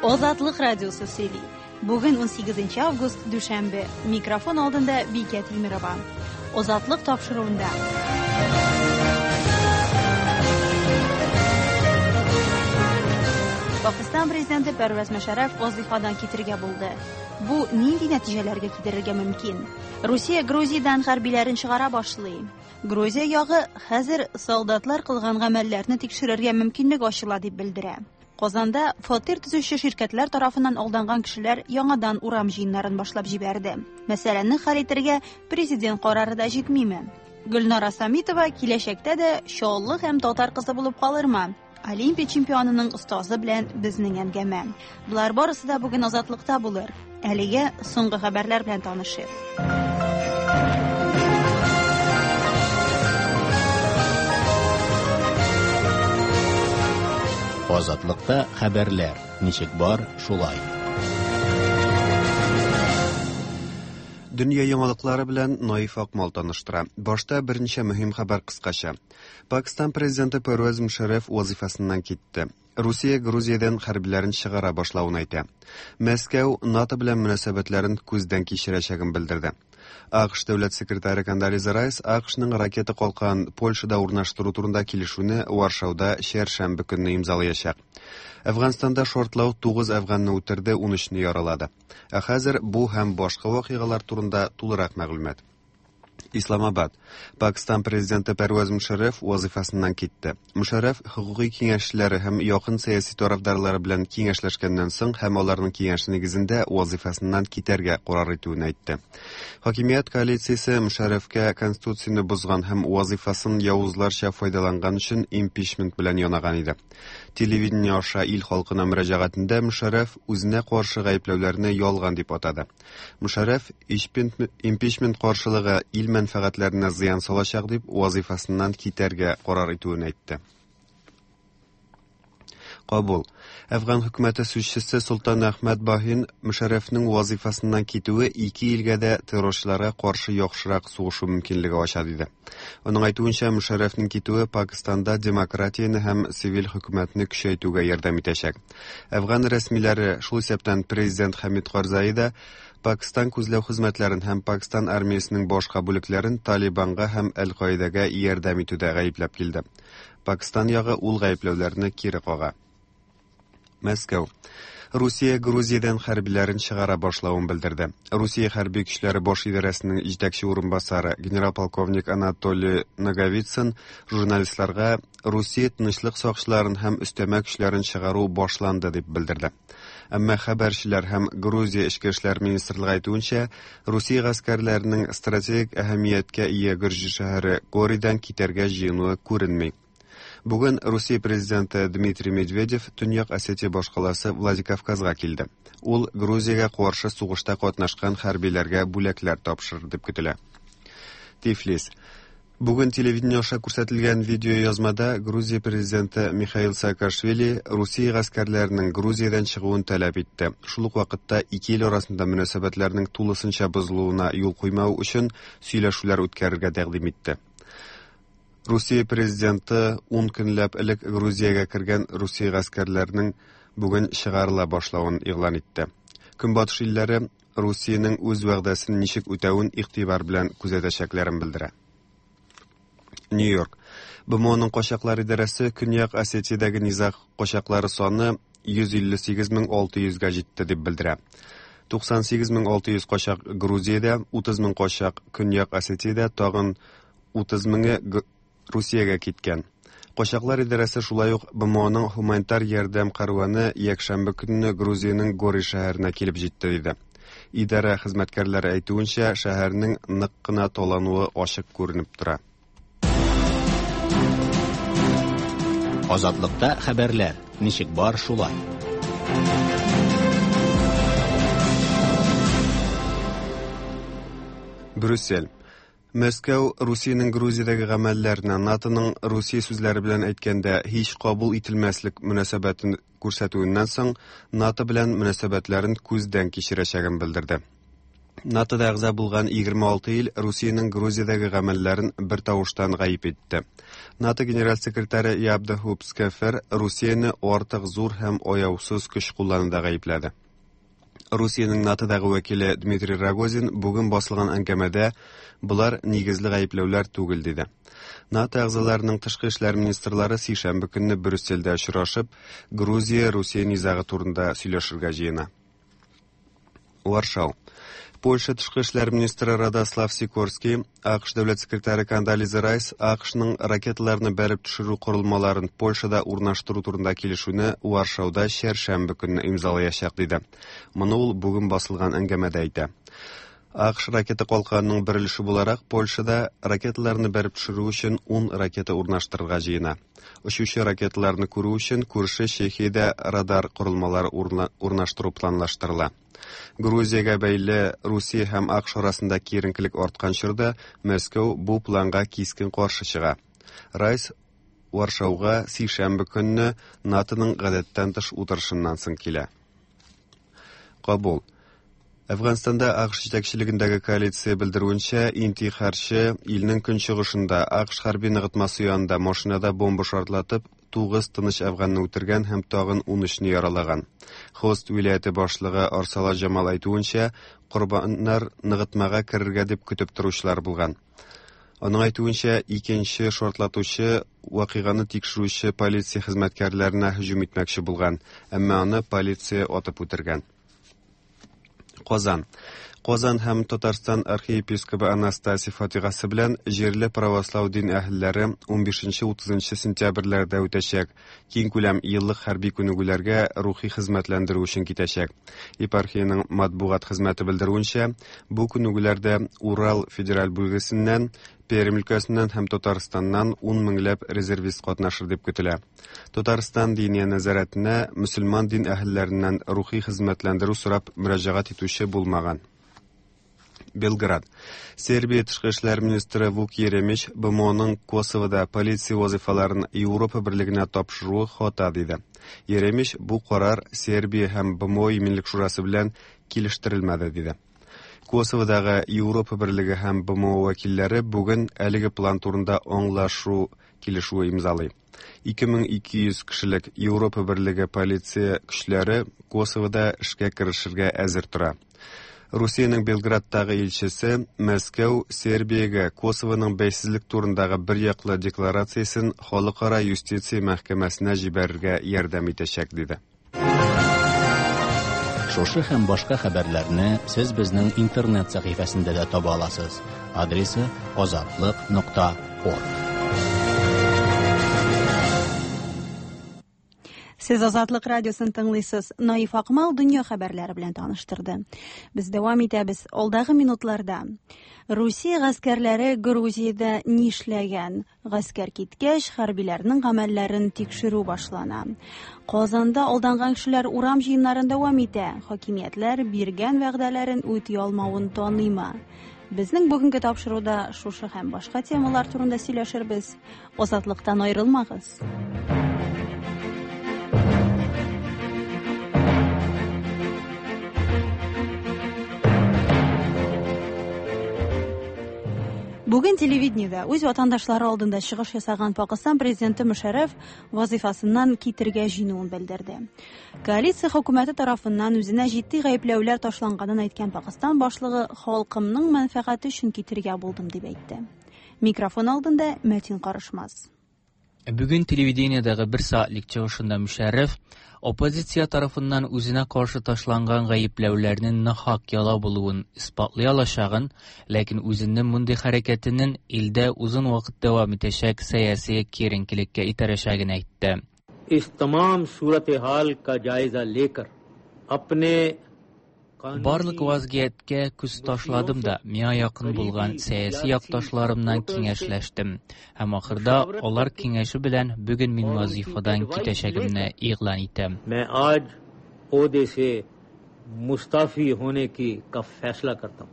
Азатлык радиосы сөйли. Бүген 18 август, дүшәмбе. Микрофон алдында Бикә Тимерова. Азатлык тапшыруында. Пакистан президенты Пәрвәз Мөшәрәф вазыйфадан китергә булды. Бу нинди нәтиҗәләргә китерергә мөмкин? Русия Грузиядән хәрбиләрен чыгара башлый. Грузия ягы хәзер солдатлар кылган гамәлләрне тикшерергә мөмкинлек ачыла дип белдерә. Казанда фатир төзүче ширкәтләр тарафыннан алданган кешеләр яңадан урам җыеннарын башлап җибәрде. Мәсьәләне хәл итәргә президент карары да җитмиме? Гөлнара Самитова киләчәктә дә Чаллы һәм татар кызы булып калырмы? Олимпия чемпионының остазы белән безнең әңгәмә. Болар барысы да бүген Азатлыкта булыр. Әлегә соңгы хәбәрләр белән танышыйк. Азатлыкта хәбәрләр ничек бар, шулай. Дөнья яңалыклары белән Наиф Акмал таныштыра. Башта берничә мөһим хәбәр кыскача. Пакистан президенты Пәрвәз Мушәррәф вазыйфасыннан китте. Русия Грузиядән хәрбиләрен чыгара башлавын әйтә. Мәскәү НАТО белән мөнәсәбәтләрен күздән кичерәчәген белдерде. АКШ дәүләт секретаре Кондолиза Райс АКШның ракета калкан Польшада урнаштыру турында килешүне Варшауда чәршәмбе көнне имзалаячак. Әфганстанда шартлау 9 әфганны үтерде, 13-не яралады. Ә хәзер бу һәм башка вакыйгалар турында тулырак мәгълүмат. Исламабад. Пакистан президенты Пәрвәз Мушәррәф вазыйфасыннан китте. Мушәррәф хокукый киңәшчеләре һәм якын сәяси тарафдарлары белән киңәшләшкәннән соң һәм аларның киңәше нигезендә вазыйфасыннан китәргә карар итүен әйтте. Хакимият коалициясе Мушәррәфкә конституцияне бозган һәм вазыйфасын явызларча файдаланган өчен импичмент белән янаган иде. Телевидение аша ил халкына мөрәҗәгатендә Мушәррәф үзенә каршы гаепләүләрне ялган дип атады. Мушәррәф импичмент каршылыгы ил мәнфәгатьләренә зыян салачак дип вазыйфасыннан китәргә карар итүен әйтте. Кабул. Әфган хөкүмәте сүзчесе Солтан Әхмәт Баһин Мушәррәфнең вазыйфасыннан китүе ике илгә дә террорчыларга каршы яхшырак сугышу мөмкинлеге ача диде. Аның әйтүенчә, Мушәррәфнең китүе Пакистанда демократияне һәм цивиль хөкүмәтне көчәйтүгә ярдәм итәчәк. Әфган рәсмиләре, шул исәптән президент Хәмид Карзаи да, Пакистан күзләү хезмәтләрен һәм Пакистан армиясенең башка бүлекләрен Талибанга һәм Әл-Каидәгә ярдәм итүдә гаепләп килде. Пакистан ягы ул гаепләүләрне кире кага. Мәскәү. Русия Грузиядән хәрбиләрен чыгара башлавын белдерде. Русия хәрби көчләре баш идарәсенең җитәкче урынбасары генерал-полковник Анатолий Наговицын журналистларга Русия тынычлык сакчыларын һәм өстәмә көчләрен чыгару башланды дип белдерде. Әмма хәбәрчеләр һәм Грузия эчке эшләр министрлыгы әйтүенчә, Русия гаскәрләренең стратегик әһәмияткә ия гөрҗе шәһәре Горидан китәргә җыенуы күренми. Бүген Русия президенты Дмитрий Медведев Төньяк Осетия башкаласы Владикавказга килде. Ул Грузиягә каршы сугышта катнашкан хәрбиләргә бүләкләр тапшырыр дип көтелә. Тифлис. Бүген телевидение аша күрсәтелгән видеоязмада Грузия президенты Михаил Саакашвили Русия гаскәрләренең Грузиядән чыгуын таләп итте. Шул ук вакытта ике ил арасында мөнәсәбәтләрнең тулысынча бозылуына юл куймау өчен сөйләшүләр үткәрергә тәкъдим итте. Русия президенты ун көнләп элек Грузиягә кергән Русия гаскәрләренең бүген чыгарыла башлавын игълан итте. Көнбатыш илләре Русиянең үз вәгъдәсен ничек үтәвен игътибар белән күзәтәчәкләрен белдерә. Нью-Йорк. БМОның качаклар идарәсе Көньяк Осетиядәге низаг качаклары саны 158 600-гә җитте дип белдерә. 98 600 качак Грузиядә, 30 мең качак Көньяк Осетиядә, тагын 30 меңе Русиягә киткән. Качаклар идарәсе шулай ук БМОның һуманитар ярдәм кәрваны якшәмбе көнне Грузиянең Гори шәһәренә килеп җитте диде. Идарә хезмәткәрләре әйтүенчә, шәһәрнең нык кына талануы ачык күренеп тора. Азатлыкта хәбәрләр ничек бар шулай. Брюссель. Мәскәү Русиянең Грузиядәге гамәлләренә НАТОның Русия сүзләре белән әйткәндә һич кабул ителмәслек мөнәсәбәтен күрсәтүеннән соң НАТО белән мөнәсәбәтләрен күздән кичерәчәген белдерде. НАТОда әгъза булган 26 ил Русиянең Грузиядәге гамәлләрен бертавыштан гаеп итте. НАТО генераль секретаре Яп де Хуп Скефер Русияне артык зур һәм аяусыз көч куллануда гаепләде. Русиянең НАТОдагы вәкиле Дмитрий Рогозин бүген басылган әңгәмәдә болар нигезле гаепләүләр түгел диде. НАТО әгъзаларының тышкы эшләр министрлары сишәмбе көнне Брюссельдә очрашып, Грузия-Русия низагы турында сөйләшергә җыена. Варшау. Польша тышкы эшләр министры Радослав Сикорский, АКШ дәүләт секретаре Кондолиза Райс АКШның ракеталарны бәреп төшерү корылмаларын Польшада урнаштыру турында килешүне Варшауда чәршәмбе көнне имзалаячак диде. Моны ул бүген басылган әңгәмәдә әйтә. АКШ ракета калканының бер өлеше буларак Польшада ракеталарны бәреп төшерү өчен 10 ракета урнаштырырга җыена. Очучы ракеталарны күрү өчен күрше Чехиядә радар корылмалары урнаштыру планлаштырыла. Грузиягә бәйле Русия һәм АКШ арасында киеренкелек арткан чорда Мәскәү бу планга кискен каршы чыга. Райс Варшауга сишәмбе көнне НАТОның гадәттән тыш утырышыннан соң килә. Кабул. Әфганстанда АКШ җитәкчелегендәге коалиция белдерүенчә, интихарчы илнең көнчыгышында АКШ хәрби ныгытмасы янында машинада бомба шартлатып, 9 тыныч әфганны үтергән һәм тагын 13-не яралаган. Хост вилаяте башлыгы Арсала Җамал әйтүенчә, корбаннар ныгытмага керергә дип көтеп торучылар булган. Аның әйтүенчә, икенче шартлатучы вакыйганы тикшерүче полиция хезмәткәрләренә һөҗүм итмәкче булган, әмма аны полиция атып үтергән. Казан. Казан һәм Татарстан архиепископы Анастасий фатихасы белән җирле православ дин әһелләре 15-30 сентябрьләрдә үтәчәк. Киң күләм еллык хәрби күнегүләргә рухи хезмәтләндерү өчен китәчәк. Епархиянең матбугат хезмәте белдерүенчә, бу күнегүләрдә Урал федераль бүлгесеннән, Пермь өлкәсеннән һәм Татарстаннан 10 меңләп резервист катнашыр дип көтелә. Татарстан диния нәзарәтенә мөселман дин әһелләреннән рухи хезмәтләндерү сорап мөрәҗәгать итүче булмаган. Белград. Сербия тышкы эшләр министры Вук Еремич БМОның Косовода полиция вазифаларын Европа берлегенә тапшыруы хата диде. Еремич бу карар Сербия һәм БМО иминлек шурасы белән килештерелмәде диде. Косоводагы Европа берлеге һәм БМО вәкилләре бүген әлеге план турында аңлашу килешүе имзалый. 2200 кешелек Европа берлеге полиция көчләре Косовода эшкә керешергә әзер тора. Русиянең Белградтагы илчесе Мәскәү Сербиягә Косовоның бәйсезлек турындагы бер яклы декларациясен халыкара юстиция мәхкәмәсенә җибәрергә ярдәм итәчәк диде. Шушы һәм башка хәбәрләрне сез безнең интернет сәхифәсендә дә таба аласыз. Адресы azatliq.org. Сез Азатлык радиосын тыңлыйсыз. Наиф Акмал дөнья хәбәрләре белән таныштырды. Без дәвам итәбез. Алдагы минутларда Русия гаскәрләре Грузиядә нишләгән? Гаскәр киткәч, хәрбиләрнең гамәлләрен тикшерү башлана. Казанда алданган кешеләр урам җыеннарын дәвам итә. Хакимиятләр биргән вәгъдәләрен үти алмавын таныймы? Безнең бүгенге тапшыруда шушы һәм башка темалар турында сөйләшербез. Азатлыктан аерылмагыз. Бүген телевидениедә үз ватандашлары алдында чыгыш ясаган Пакыстан президенты Мөшәррәф вазифасыннан китергә җыенуын белдерде. Коалиция хөкүмәте тарафыннан үзенә җитди гаепләүләр ташланганын әйткән Пакыстан башлыгы халкымның мәнфәгате өчен китергә булдым дип әйтте. Микрофон алдында Мәтин Карышмаз. Бүген телевидениедәге бер сәгатьлек чыгышында Мөшәррәф оппозиция тарафыннан үзенә каршы ташланган гаепләүләрнең нахак яла булуын исбатлый алачагын, ләкин үзенең мондый хәрәкәтенең илдә озын вакыт дәвам итәчәк сәяси киеренкелеккә этәрәчәген әйтте. इस तमाम सूरत हाल का जायजा लेकर अपने Барлык вазгыятькә күз ташладым да, миңа якын булган сәяси якташларымнан киңәшләштем. Һәм ахырда алар киңәше белән бүген мин вазифадан китәчәгемне игълан итәм. मैं आज ओहदे से मुस्ताफी होने की का फैसला करता हूँ।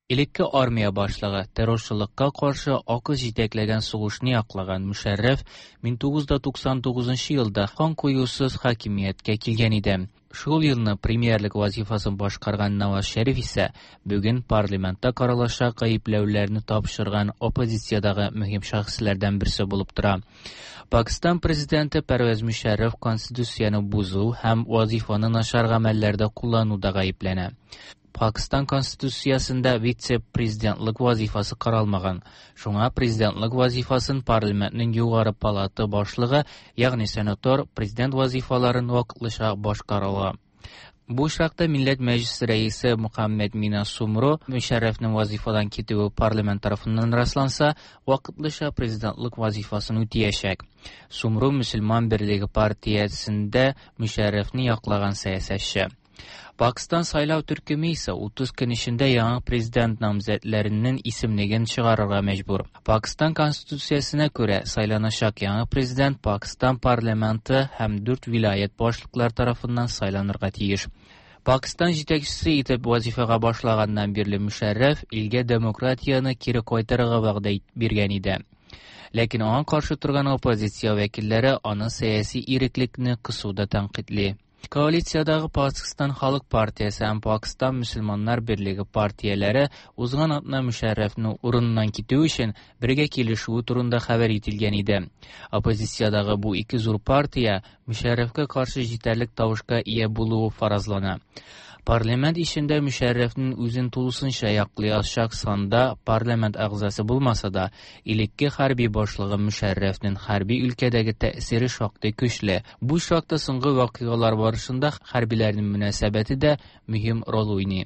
Элекке армия башлыгы террорчылыкка каршы АКШ җитәкләгән сугышны яклаган Мөшәррәф 1999 елда кан коюсыз хакимияткә килгән иде. Шул елны премьерлык вазифасын башкарган Наваз Шәриф исә бүген парламентта каралачак гаепләүләрне тапшырган оппозициядәге мөһим шәхесләрдән берсе булып тора. Пакистан президенты Пәрвәз Мөшәррәф конституцияне бозу һәм вазифаны начар гамәлләрдә куллануда гаепләнә. Пакистан конституциясендә вице-президентлык вазифасы каралмаган. Шуңа президентлык вазифасын парламентның югары палата башлыгы, ягъни сенатор, президент вазифаларын вакытлыча башкара ала. Бу очракта Милләт Мәҗлесе рәисе Мөхәммәд Мина Сумро Мөшәррәфнең вазифадан китүе парламент тарафыннан расланса, вакытлыча президентлык вазифасын үтәячәк. Сумро Мөселман берлеге партиясендә Мөшәррәфне яклаган сәясәтче. Пакистан сайлау төркеме исә 30 көн эчендә яңа президент намзәтләренең исемлеген чыгарырга мәҗбүр. Пакистан конституциясенә күрә сайланачак яңа президент Пакистан парламенты һәм 4 вилаять башлыклары тарафыннан сайланырга тиеш. Пакистан җитәкчесе итеп вазифага башлаганнан бирле Мөшәррәф илгә демократияне кире кайтарырга вәгъдә биргән иде. Ләкин аңа каршы торган оппозиция вәкилләре аны сәяси иреклекне кысуда тәнкыйтьли. Коалициядагы Пакистан Халык партиясе һәм Пакистан Мөселманнар берлеге партияләре узган атна Мөшәррәфне урыныннан китү өчен бергә килешүе турында хәбәр ителгән иде. Оппозициядагы бу ике зур партия Мөшәррәфкә каршы җитәрлек тавышка ия булуы фаразлана. Парламент эчендә Мөшәррәфнең үзен тулысынча яклый алачак санда парламент әгъзасы булмаса да, элекке хәрби башлыгы Мөшәррәфнең хәрби өлкәдәге тәэсире шактый көчле. Бу очракта соңгы вакыйгалар барышында хәрбиләрнең мөнәсәбәте дә мөһим роль уйный.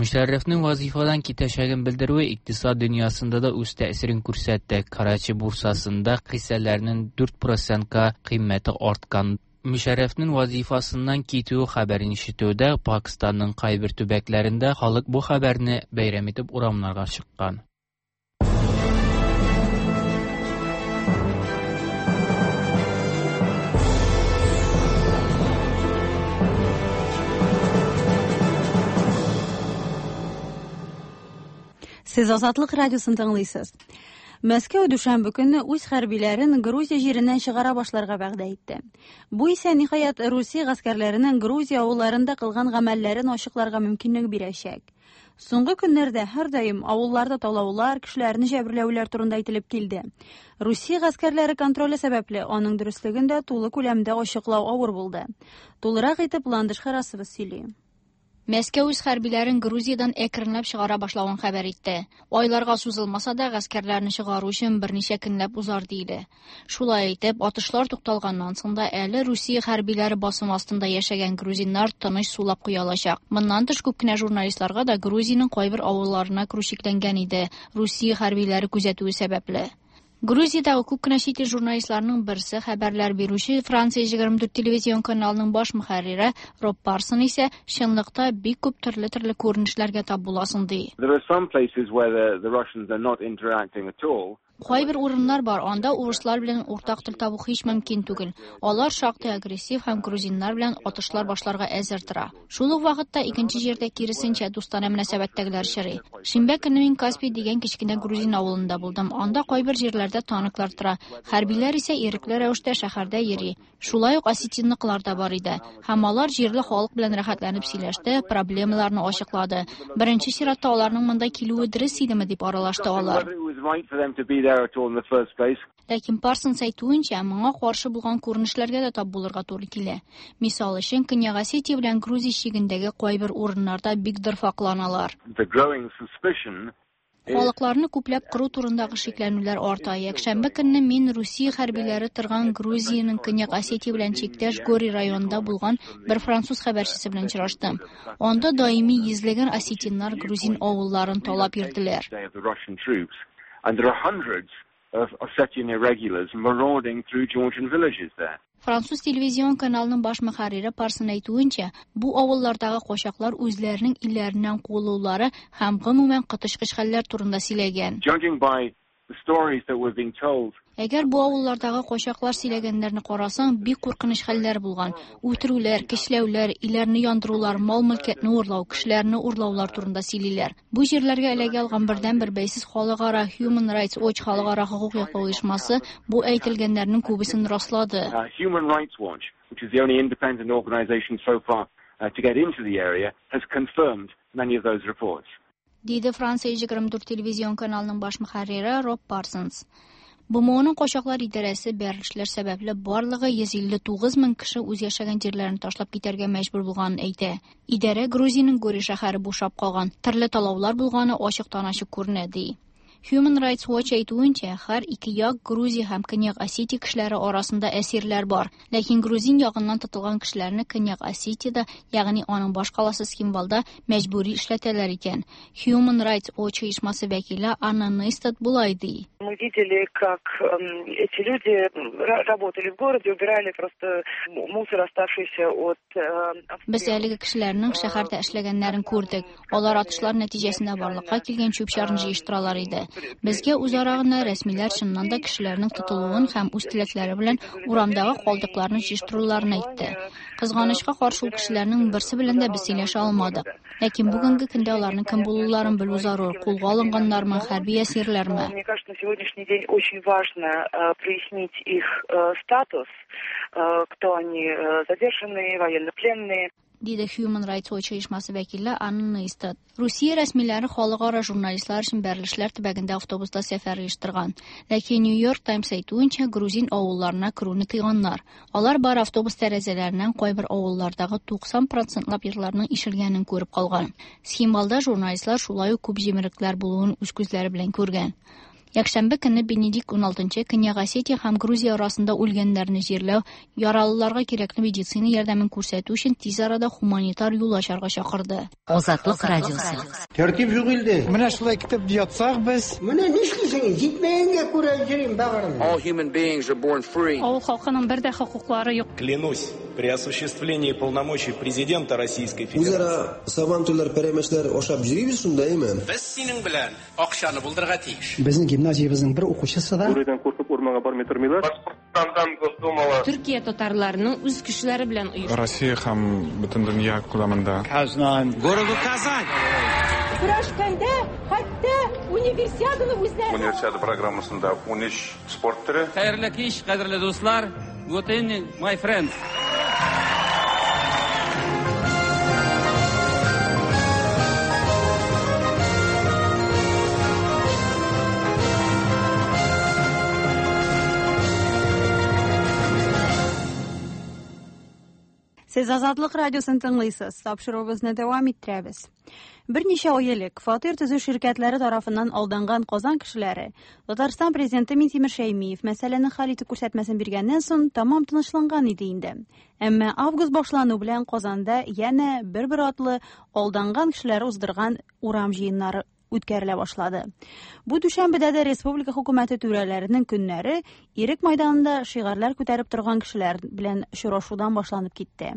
Мөшәррәфнең вазифадан китәчәген белдерүе икътисад дөньясында да үз тәэсирен күрсәтте. Карачи бурсасында хиссәләрнең 4%-ка кыйммәте арткан. Мөшәррәфнең вазифасыннан китүе хәбәрен ишетүдә Пакистанның кайбер төбәкләрендә халык бу хәбәрне бәйрәм итеп урамнарга чыккан. Сез Азатлык радиосын тыңлыйсыз. Мәскәү дүшәмбе көнне үз хәрбиләрен Грузия җиреннән чыгара башларга вәгъдә итте. Бу исә ниһаять Русия гаскәрләренең Грузия авылларында кылган гамәлләрен ачыкларга мөмкинлек бирәчәк. Соңгы көннәрдә һәрдаим авылларда талаулар, кешеләрне җәберләүләр турында әйтелеп килде. Русия гаскәрләре контроле сәбәпле аның дөреслеген дә тулы күләмдә ачыклау авыр булды. Тулырак итеп Ландыш Харасова сөйли. Мәскәү үз хәрбиләрен Грузиядән әкренләп чыгара башлавын хәбәр итте. Айларга сузылмаса да, гаскәрләрне чыгару өчен берничә көнләп узар диелә. Шулай итеп, атышлар тукталганнан соң да әле Русия хәрбиләре басым астында яшәгән грузиннар тыныч сулап куя алачак. Моннан тыш күп кенә журналистларга да Грузиянең кайбер авылларына керү чикләнгән иде, Русия хәрбиләре күзәтүе сәбәпле. Грузиядәге күп кенә чит ил журналистларының берсе хәбәрләр бирүче Франция 24 телевизион каналының баш мөхәррире Роб Парсон исә чынлыкта бик күп төрле-төрле күренешләргә тап буласың ди. There are some places where the Russians are not interacting at all. Кайбер урыннар бар, анда урыслар белән уртак тел табу һич мөмкин түгел. Алар шактый агрессив һәм грузиннар белән атышлар башларга әзер тора. Шул ук вакытта икенче җирдә киресенчә дустанә мөнәсәбәттәгеләр очрый. Шимбә көнне мин Каспий дигән кечкенә грузин авылында булдым. Анда кайбер җирләрдә танклар тора. Хәрбиләр исә ирекле рәвештә шәһәрдә йөри. Шулай ук осетинныкылар да бар иде. Һәм алар җирле халык белән рәхәтләнеп сөйләште, проблемаларны ачыклады. Беренче чиратта аларның монда килүе дөрес идеме дип аралашты алар. Whether it was right for them to be there at all in the first place. Ләкин Парсонс әйтүенчә, моңа каршы булган күренешләргә дә тап булырга туры килә. Мисал өчен, Көньяк Осетия белән Грузия чигендәге кайбер урыннарда бик дырфакланалар. The growing suspicion Халыкларны күпләп кыру турындагы шикләнүләр арта. Якшәмбе көнне мин Русия хәрбиләре торган Грузиянең Көньяк Осетия белән чиктәш Гори районында булган бер француз хәбәрчесе белән очраштым. Анда даими йөзләгән осетиннар грузин авылларын талап йөрделәр. of the Russian troops, and there are hundreds of Ossetian irregulars marauding through Georgian villages there. Француз телевизион каналының баш мөхәррире Парсон әйтүенчә, бу авыллардагы качаклар үзләренең илләреннән куылулары һәм гомумән коточкыч хәлләр турында сөйләгән. Judging by The stories that were being told. Әгәр бу авыллардагы качаклар сөйләгәннәрне карасаң, бик куркыныч хәлләр булган. Үтерүләр, көчләүләр, өйләрне яндырулар, мал-мөлкәтне урлау, кешеләрне урлаулар турында сөйлиләр. Бу җирләргә эләгә алган бердәнбер бәйсез халыкара Human Rights Watch халыкара хокук яклау оешмасы бу әйтелгәннәрнең күбесен раслады. Human Rights Watch, which is the only independent organization so far to get into the area, has confirmed many of those reports. Диде Франция 24 телевизион каналының баш мөхәррире Роб Парсонс. БМОның качаклар идарәсе бәрелешләр сәбәпле барлыгы 159 мең кеше үз яшәгән җирләрен ташлап китәргә мәҗбүр булганын әйтә. Идарә Грузиянең Гори шәһәре бушап калган, төрле талаулар булганы ачыктан-ачык күренә, ди. Human Rights Watch әйтүенчә, һәр ике як Грузия һәм Көньяк Осетия кешеләре арасында әсирләр бар. Ләкин грузин ягыннан тотылган кешеләрне Көньяк Осетиядә, ягъни аның баш каласы Цхинвалда мәҗбүри эшләтәләр икән. Human Rights Watch оешмасы вәкиле Анна Нейстад болай ди. Мы видели, как эти люди работали в городе, убирали просто мусор, оставшийся от Без әлеге кешеләрнең шәһәрдә эшләгәннәрен күрдек. Алар атышлар нәтиҗәсендә барлыкка килгән чүп-чарны җыештыралар иде. Безгә үзара гына рәсмиләр чыннан да кешеләрнең тотылуын һәм үз теләкләре белән урамдагы калдыкларны җыештыруларын әйтте. Кызганычка каршы, ул кешеләрнең берсе белән дә без сөйләшә алмадык. Ләкин бүгенге көндә аларның кем булуларын белү зарур. Кулга алынганнармы, хәрби әсирләрме? Мне кажется, на сегодняшний день очень важно прояснить их статус, кто они, задержанные, военнопленные. Диде Human Rights Watch оешмасы вәкиле Анна Нейстад. Русия рәсмиләре халыкара журналистлар өчен бәрелешләр төбәгендә автобуста сәфәр оештырган. Ләкин New York Times әйтүенчә, грузин авылларына керүне тыйганнар. Алар бар автобус тәрәзәләреннән кайбер авыллардагы 90 процентлап йортларның ишелгәнен күреп калган. Цхинвалда журналистлар шулай ук күп җимерекләр булуын үз күзләре белән күргән. Якшәмбе көнне Бенедикт 16 Көньяк Осетия һәм Грузия арасында үлгәннәрне җирләү, яралыларга кирәкле медицина ярдәмен күрсәтү өчен тиз арада гуманитар юл ачарга чакырды. Азатлык радиосы. Тәртип юк илдә. Менә шулай китеп ятсак без. Менә нишлисең? Җитмәгәнгә күрә йөрим бәгырем. All human beings are born free. Авыл халкының бер дә хокуклары юк. Клянусь, при осуществлении полномочий президента Российской Федерации. Үзара сабантуйлар, пәрәмәчләр ашап йөрибез шунда, әйме? Без синең белән акчаны булдырырга тиеш. Безнең гимназиябезнең бер укучысы да Бүредән куркып урманга бармый тормыйлар. Башкортстандан Госдумала. Төркия татарларының үз көчләре белән оештырган. Россия һәм бөтен дөнья күләмендә. Казан. Городу Казань. Көрәшкәндә хәтта универсиаданы үзләре. Универсиада программасында 13 спорт төре. Хәерле кич, кадерле дуслар. Good evening, my friends. Сез Азатлык радиосын тыңлыйсыз. Тапшыруыбызны дәвам иттерәбез. Берничә ай элек фатир төзү ширкәтләре тарафыннан алданган Казан кешеләре Татарстан президенты Минтимер Шәймиев мәсьәләне хәл итү күрсәтмәсен биргәннән соң тамам тынычланган иде инде. Әмма август башлану белән Казанда янә бер-бер атлы алданган кешеләр уздырган урам җыеннары үткәрелә башлады. Бу дүшәмбедә дә республика хөкүмәте түрәләренең көннәре Ирек майданында шигарьләр күтәреп торган кешеләр белән очрашудан башланып китте.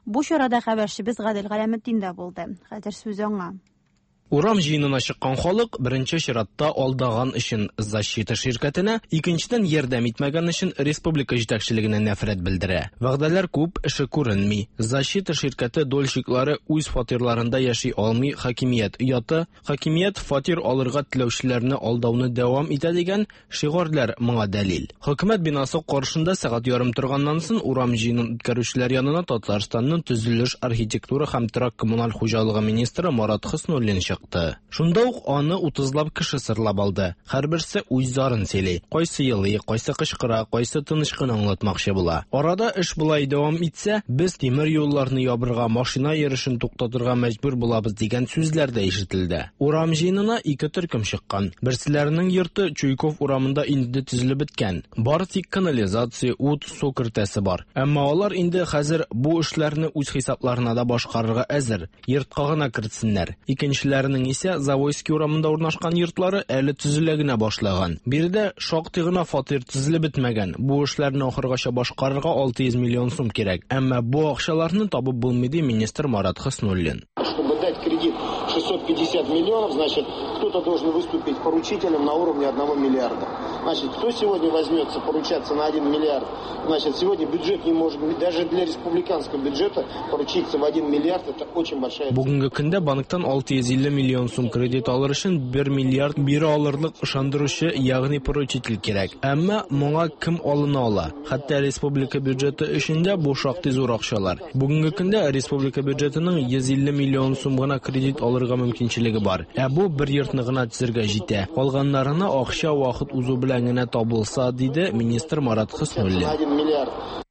Бу чарада хәбәрчебез Гадел Галәметдин дә булды. Хәзер сүз аңа. Урам җыенына чыккан халык беренче чиратта алдаган өчен Защита ширкәтенә, икенчедән ярдәм итмәгән өчен республика җитәкчелегенә нәфрәт белдерә. Вәгъдәләр күп, эше күренми. Защита ширкәте дольщиклары үз фатирларында яши алмый, хакимият ояты, хакимият фатир алырга теләүчеләрне алдауны дәвам итә дигән шигарьләр моңа дәлил. Хөкүмәт бинасы каршында сәгать ярым торганнан соң урам җыенын үткәрүчеләр янына Татарстанның төзелеш, архитектура һәм торак коммуналь хуҗалыгы министры Марат Хөснуллин чыкты. Шунда ук аны 30лап кеше сырлап алды. Һәрберсе үз зарын сөйли. Кайсы елый, кайсы кычкыра, кайсы тыныч кына аңлатмакчы була. Арада эш болай дәвам итсә, без тимер юлларны ябырга, машина йөрешен туктатырга мәҗбүр булабыз дигән сүзләр дә ишетелде. Урам җыенына ике төркем чыккан. Берселәренең йорты Чуйков урамында инде төзелеп беткән. Бары тик канализация, ут, су кертәсе бар. Әмма алар инде хәзер бу эшләрне үз хисапларына да башкарырга әзер. Йортка гына кертсеннәр. Икенчеләренең исә Завойский урамында урнашкан йортлары әле төзелә генә башлаган. Биредә шактый гына фатир төзелеп бетмәгән. Бу эшләрне ахыргача башкарырга 600 миллион сум кирәк. Әмма бу акчаларны табып булмый, ди министр Марат Хөснуллин. Чтобы дать кредит 600 650 миллионов, значит, кто-то должен выступить поручителем на уровне 1 миллиарда. Значит, кто сегодня возьмется поручаться на 1 миллиард? Значит, сегодня бюджет не может, даже для республиканского бюджета поручиться в 1 миллиард, это очень большая... Бүгенге көндә банктан 650 миллион сум кредит алыр өчен 1 миллиард бирә алырлык ышандыручы, ягъни поручитель кирәк. Әмма моңа кем алына ала? Хәтта республика бюджеты өчен дә бу шактый зур акчалар. Бүгенге көндә республика бюджетының 150 миллион сум гына кредит алырга мөмкинчелеге бар. Ә бу бер йортны гына төзергә җитә. Калганнарына акча вакыт узу белән генә табылса, диде министр Марат Хөснуллин.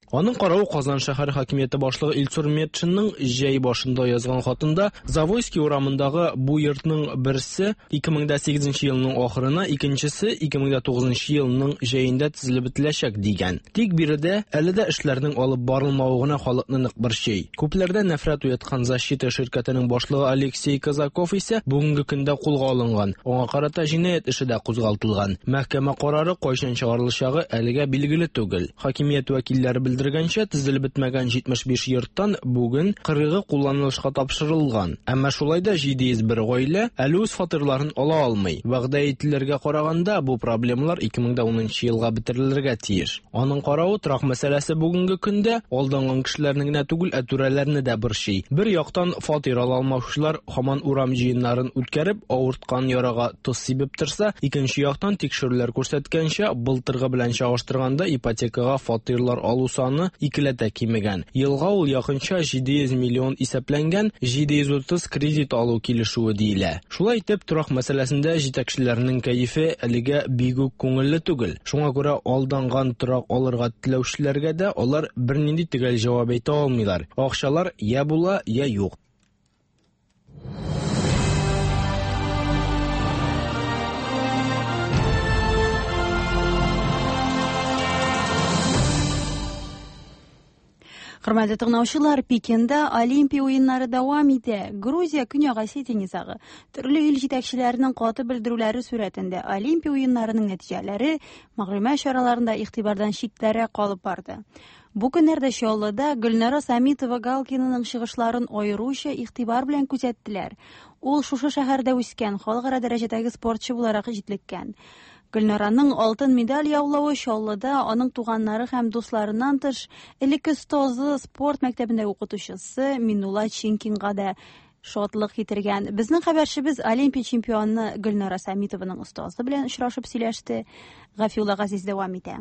Аның каравы Казан шәһәр хакимияте башлыгы Илсур Метшинның җәй башында язган хатында Завойский урамындагы бу йортның берсе 2008 елның ахырына, икенчесе 2009 елның җәендә төзелеп бетеләчәк дигән. Тик биредә әле дә эшләрнең алып барылмавы гына халыкны нык борчый. Күпләрдә нәфрәт уяткан Защита ширкәтенең башлыгы Алексей Казаков исә бүгенге көндә кулга алынган. Аңа карата җинаять эше дә кузгалтылган. Мәхкәмә карары кайчан чыгарылачагы әлегә билгеле түгел. Хакимият вәкилләре белдергәнчә, төзелеп бетмәгән 75 йорттан бүген 40-ы кулланылышка тапшырылган. Әмма шулай да 701 гаилә әле үз фатирларын ала алмый. Вәгъдә ителергә караганда, бу проблемалар 2010 елга бетерелергә тиеш. Аның каравы, торак мәсьәләсе бүгенге көндә алданган кешеләрне генә түгел, ә түрәләрне дә борчый. Бер яктан фатир ала алмаучылар һаман урам җыеннарын үткәреп, авырткан ярага тоз сибеп торса, икенче яктан тикшерүләр күрсәткәнчә, былтыргы белән чагыштырганда ипотекага фатирлар алу саны икеләтә кимегән. Елга ул якынча 700 миллион исәпләнгән 730 кредит алу килешүе диелә. Шулай итеп, торак мәсьәләсендә җитәкчеләрнең кәефе әлегә бик үк күңелле түгел. Шуңа күрә алданган торак алырга теләүчеләргә дә алар бернинди төгәл җавап әйтә алмыйлар. Акчалар я була, я юк. Хөрмәтле тыңлаучылар, Пекинда Олимпия уеннары дәвам итә. Грузия Көньяк Осетия низагы төрле ил җитәкчеләренең каты белдерүләре сурәтендә Олимпия уеннарының нәтиҗәләре мәгълүмат чараларында игътибардан читтәрәк калып барды. Бу көннәрдә Чаллыда Гөлнара Самитова Галкинаның чыгышларын аеруча игътибар белән күзәттеләр. Ул шушы шәһәрдә үскән, халыкара дәрәҗәдәге спортчы буларак җитлеккән. Гөлнараның алтын медаль яулавы Чаллыда аның туганнары һәм дусларыннан тыш элекке остазы, спорт мәктәбендә укытучысы Минулла Чинкинга да шатлык китергән. Безнең хәбәрчебез Олимпия чемпионы Гөлнара Самитованың остазы белән очрашып сөйләште. Гафиулла Газиз дәвам итә.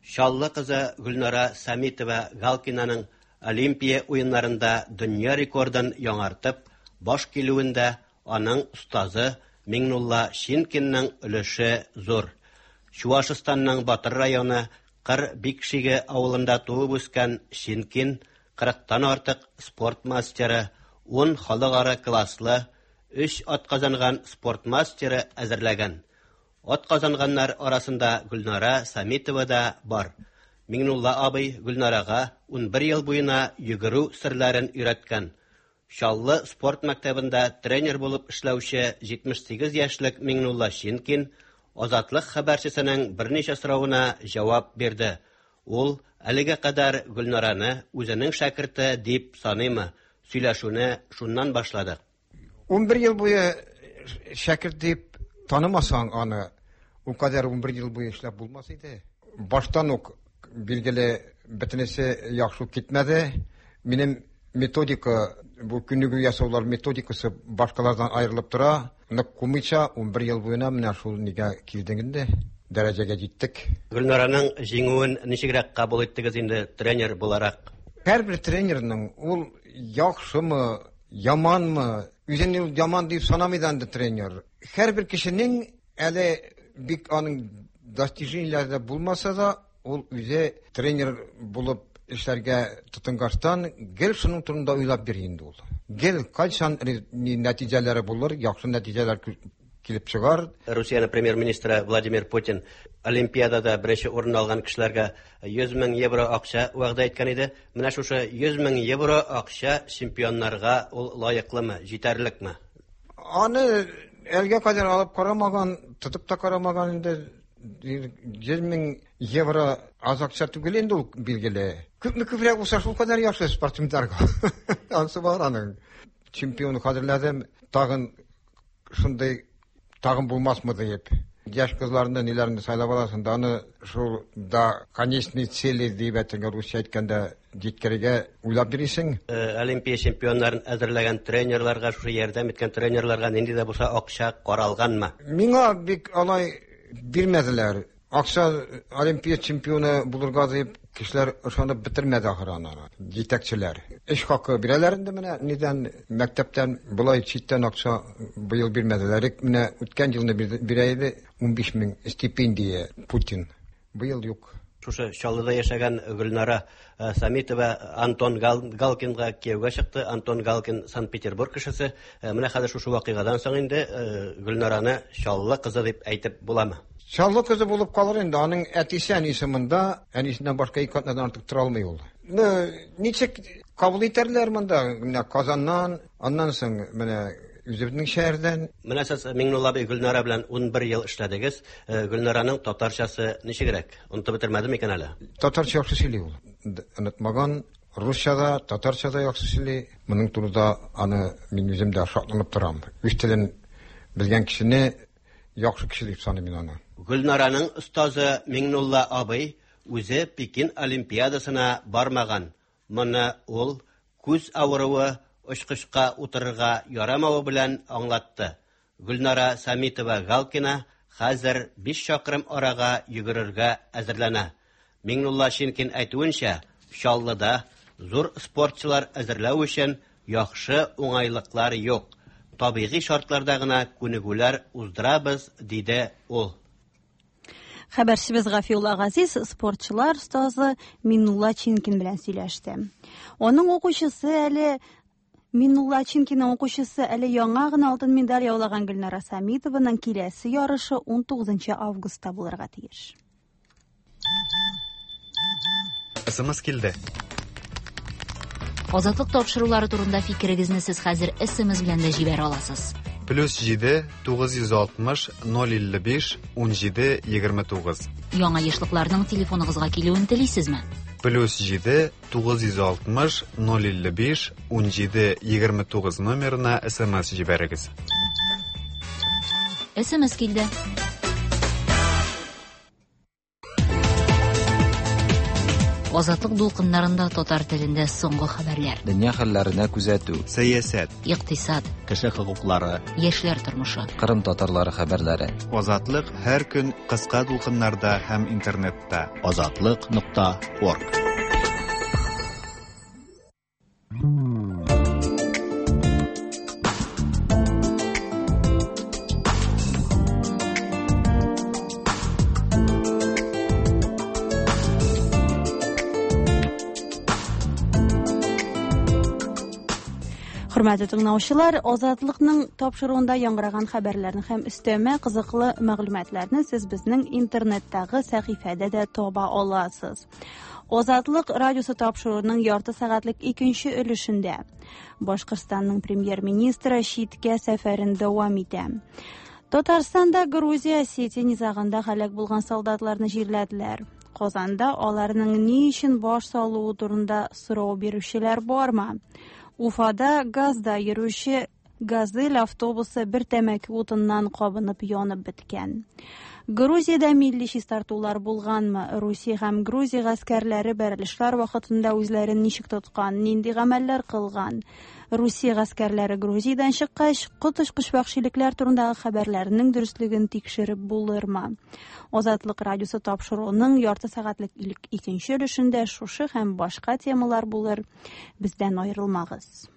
Чаллы кызы Гөлнара Самитова Галкинаның Олимпия уеннарында дөнья рекордын яңартып, баш килүендә аның остазы Миңнулла Шинкинның өлеше зур. Чуашстанның Батыр районы Кыр Бикшиге авылында туып үскән Шинкин 40-тан артык спорт мастеры, 10 халыкара класслы, 3 атказанган спорт мастеры әзерләгән. Атказанганнар арасында Гөлнара Самитова да бар. Миңнулла абый Гөлнарага 11 ел буена йөгерү серләрен өйрәткән. Чаллы спорт мәктәбендә тренер булып эшләүче 78 яшьлек Миңнулла Шинкин Азатлык хәбәрчесенең берничә соравына җавап бирде. Ул әлегә кадәр Гөлнараны үзенең шәкерте дип саныймы? Сөйләшүне шуннан башладык. 11 ел буе шәкерт дип танымасаң аны, ул кадәр 11 ел буе эшләп булмас иде. Баштан ук билгеле бөтенесе яхшы китмәде. Минем методика, бу күнегү ясаулар методикасы башкалардан аерылып тора. Нык кумыйча 11 ел буена менә шул нигә килдек инде, дәрәҗәгә җиттек. Гөлнараның җиңүен ничегрәк кабул иттегез инде тренер буларак? Һәрбер тренерның ул яхшымы, яманмы, үзен ул яман дип санамый да инде тренер. Һәрбер кешенең әле бик аның достижениеләре булмаса да, ул үзе тренер булып эшләргә тотынгачтан гел шуның турында уйлап йөри инде ул. Гел кайчан нәтиҗәләре булыр, яхшы нәтиҗәләр килеп чыгар. Русиянең премьер-министры Владимир Путин Олимпиадада беренче урын алган кешеләргә 100 мең евро акча вәгъдә иткән иде. Менә шушы 100 мең евро акча чемпионнарга ул лаеклымы, җитәрлекме? Аны әлгә кадәр алып карамаган, тотып та карамаган инде. 100 мең евро аз акча түгел инде ул, билгеле. Күпме күбрәк булса, шул кадәр яхшы спортсменнарга. Ансы бар аның. чемпионы хәзерләдем. Тагын шундый тагын булмасмы диеп. Яшь кызларны ниләрне сайлап аласың да аны шул до конечной цели дип әйтергә русча әйткәндә җиткерергә уйлап йөрисең. Олимпия чемпионнарын әзерләгән тренерларга, шушы ярдәм иткән тренерларга нинди дә булса акча каралганмы? Миңа бик алай бирмәделәр. Акча Олимпия чемпионы булырга дип кешеләр ышанып бетермәде ахыры аны, җитәкчеләр. Эш хакы бирәләр инде менә нидән мәктәптән болай читтән акча быел бирмәделәр. Менә үткән елны бирә иде 15 мең стипендия Путин. Быел юк. Шушы Чаллыда яшәгән Гөлнара Самитова Антон Галкинга кияүгә чыкты. Антон Галкин Санкт-Петербург кешесе. Менә хәзер шушы вакыйгадан соң инде Гөлнараны Чаллы кызы дип әйтеп буламы? Чаллы кызы булып калыр инде. Аның әтисе әнисе монда, әнисеннән башка ике атнадан артык тора алмый ул. Ну, ничек кабул итәрләр монда? Менә Казаннан, аннан соң менә үзебезнең шәһәрдән. Менә сез Миңнулла абый Гөлнара белән 11 ел эшләдегез. Гөлнараның татарчасы ничегрәк? Онытып бетермәде микән әле? Татарча яхшы сөйли ул. Онытмаган. Русча да, татарча да яхшы сөйли. Моның турында аны мин үзем дә шатланып торам. Үз телен белгән кешене яхшы кеше дип саныйм мин аны. Гөлнараның остазы Миңнулла абый үзе Пекин Олимпиадасына бармаган. Моны ул күз авыруы, очкычка утырырга ярамавы белән аңлатты. Гөлнара Самитова Галкина хәзер 5 чакрым арага йөгерергә әзерләнә. Миңнулла Шинкин әйтүенчә, Чаллыда зур спортчылар әзерләү өчен яхшы уңайлыклар юк. Табигый шартларда гына күнегүләр уздырабыз, диде ул. Хәбәрчебез Гафиулла Газиз спортчылар остазы Миннулла Чинкин белән сөйләште. Аның укучысы әле Миннулла Чинкинның укучысы әле яңа гына алтын медаль яулаган Гөлнара Самитованың киләсе ярышы 19 августта булырга тиеш. СМС килде. Азатлык тапшырулары турында фикерегезне сез хәзер СМС белән дә җибәрә аласыз. Плюс 7 960 055 17 29. Яңа ешлыкларның телефоныгызга килүен телисезме? Плюс 7 960 055 17 29 номерына СМС җибәрегез. СМС килде. Азатлык дулкыннарында татар телендә соңгы хәбәрләр. Дөнья хәлләренә күзәтү. Сәясәт. Икътисад. Кеше хокуклары. Яшьләр тормышы. Кырым татарлары хәбәрләре. Азатлык һәр көн кыска дулкыннарда һәм интернетта. Азатлык.орг. Хөрмәтле тыңлаучылар, Азатлыкның тапшыруында яңгыраган хәбәрләрне һәм өстәмә кызыклы мәгълүматларны сез безнең интернеттагы сәхифәдә дә таба аласыз. Азатлык радиосы тапшыруының ярты сәгатьлек икенче өлешендә Башкортстанның премьер-министры читкә сәфәрен дәвам итә. Татарстанда Грузия Осетия низагында һәлак булган солдатларны җирләделәр. Казанда аларның ни өчен баш салуы турында сорау бирүчеләр бармы? Уфада газда йөрүче «Газель» автобусы бер тәмәке утыннан кабынып янып беткән. Грузиядә милли чистартулар булганмы? Русия һәм Грузия гаскәрләре бәрелешләр вакытында үзләрен ничек тоткан, нинди гамәлләр кылган? Русия гаскәрләре Грузиядән чыккач, коточкыч вәхшилекләр турындагы хәбәрләрнең дөреслеген тикшереп булырмы? Азатлык радиосы тапшыруының ярты сәгатьлек икенче өлешендә шушы һәм башка темалар булыр. Бездән аерылмагыз.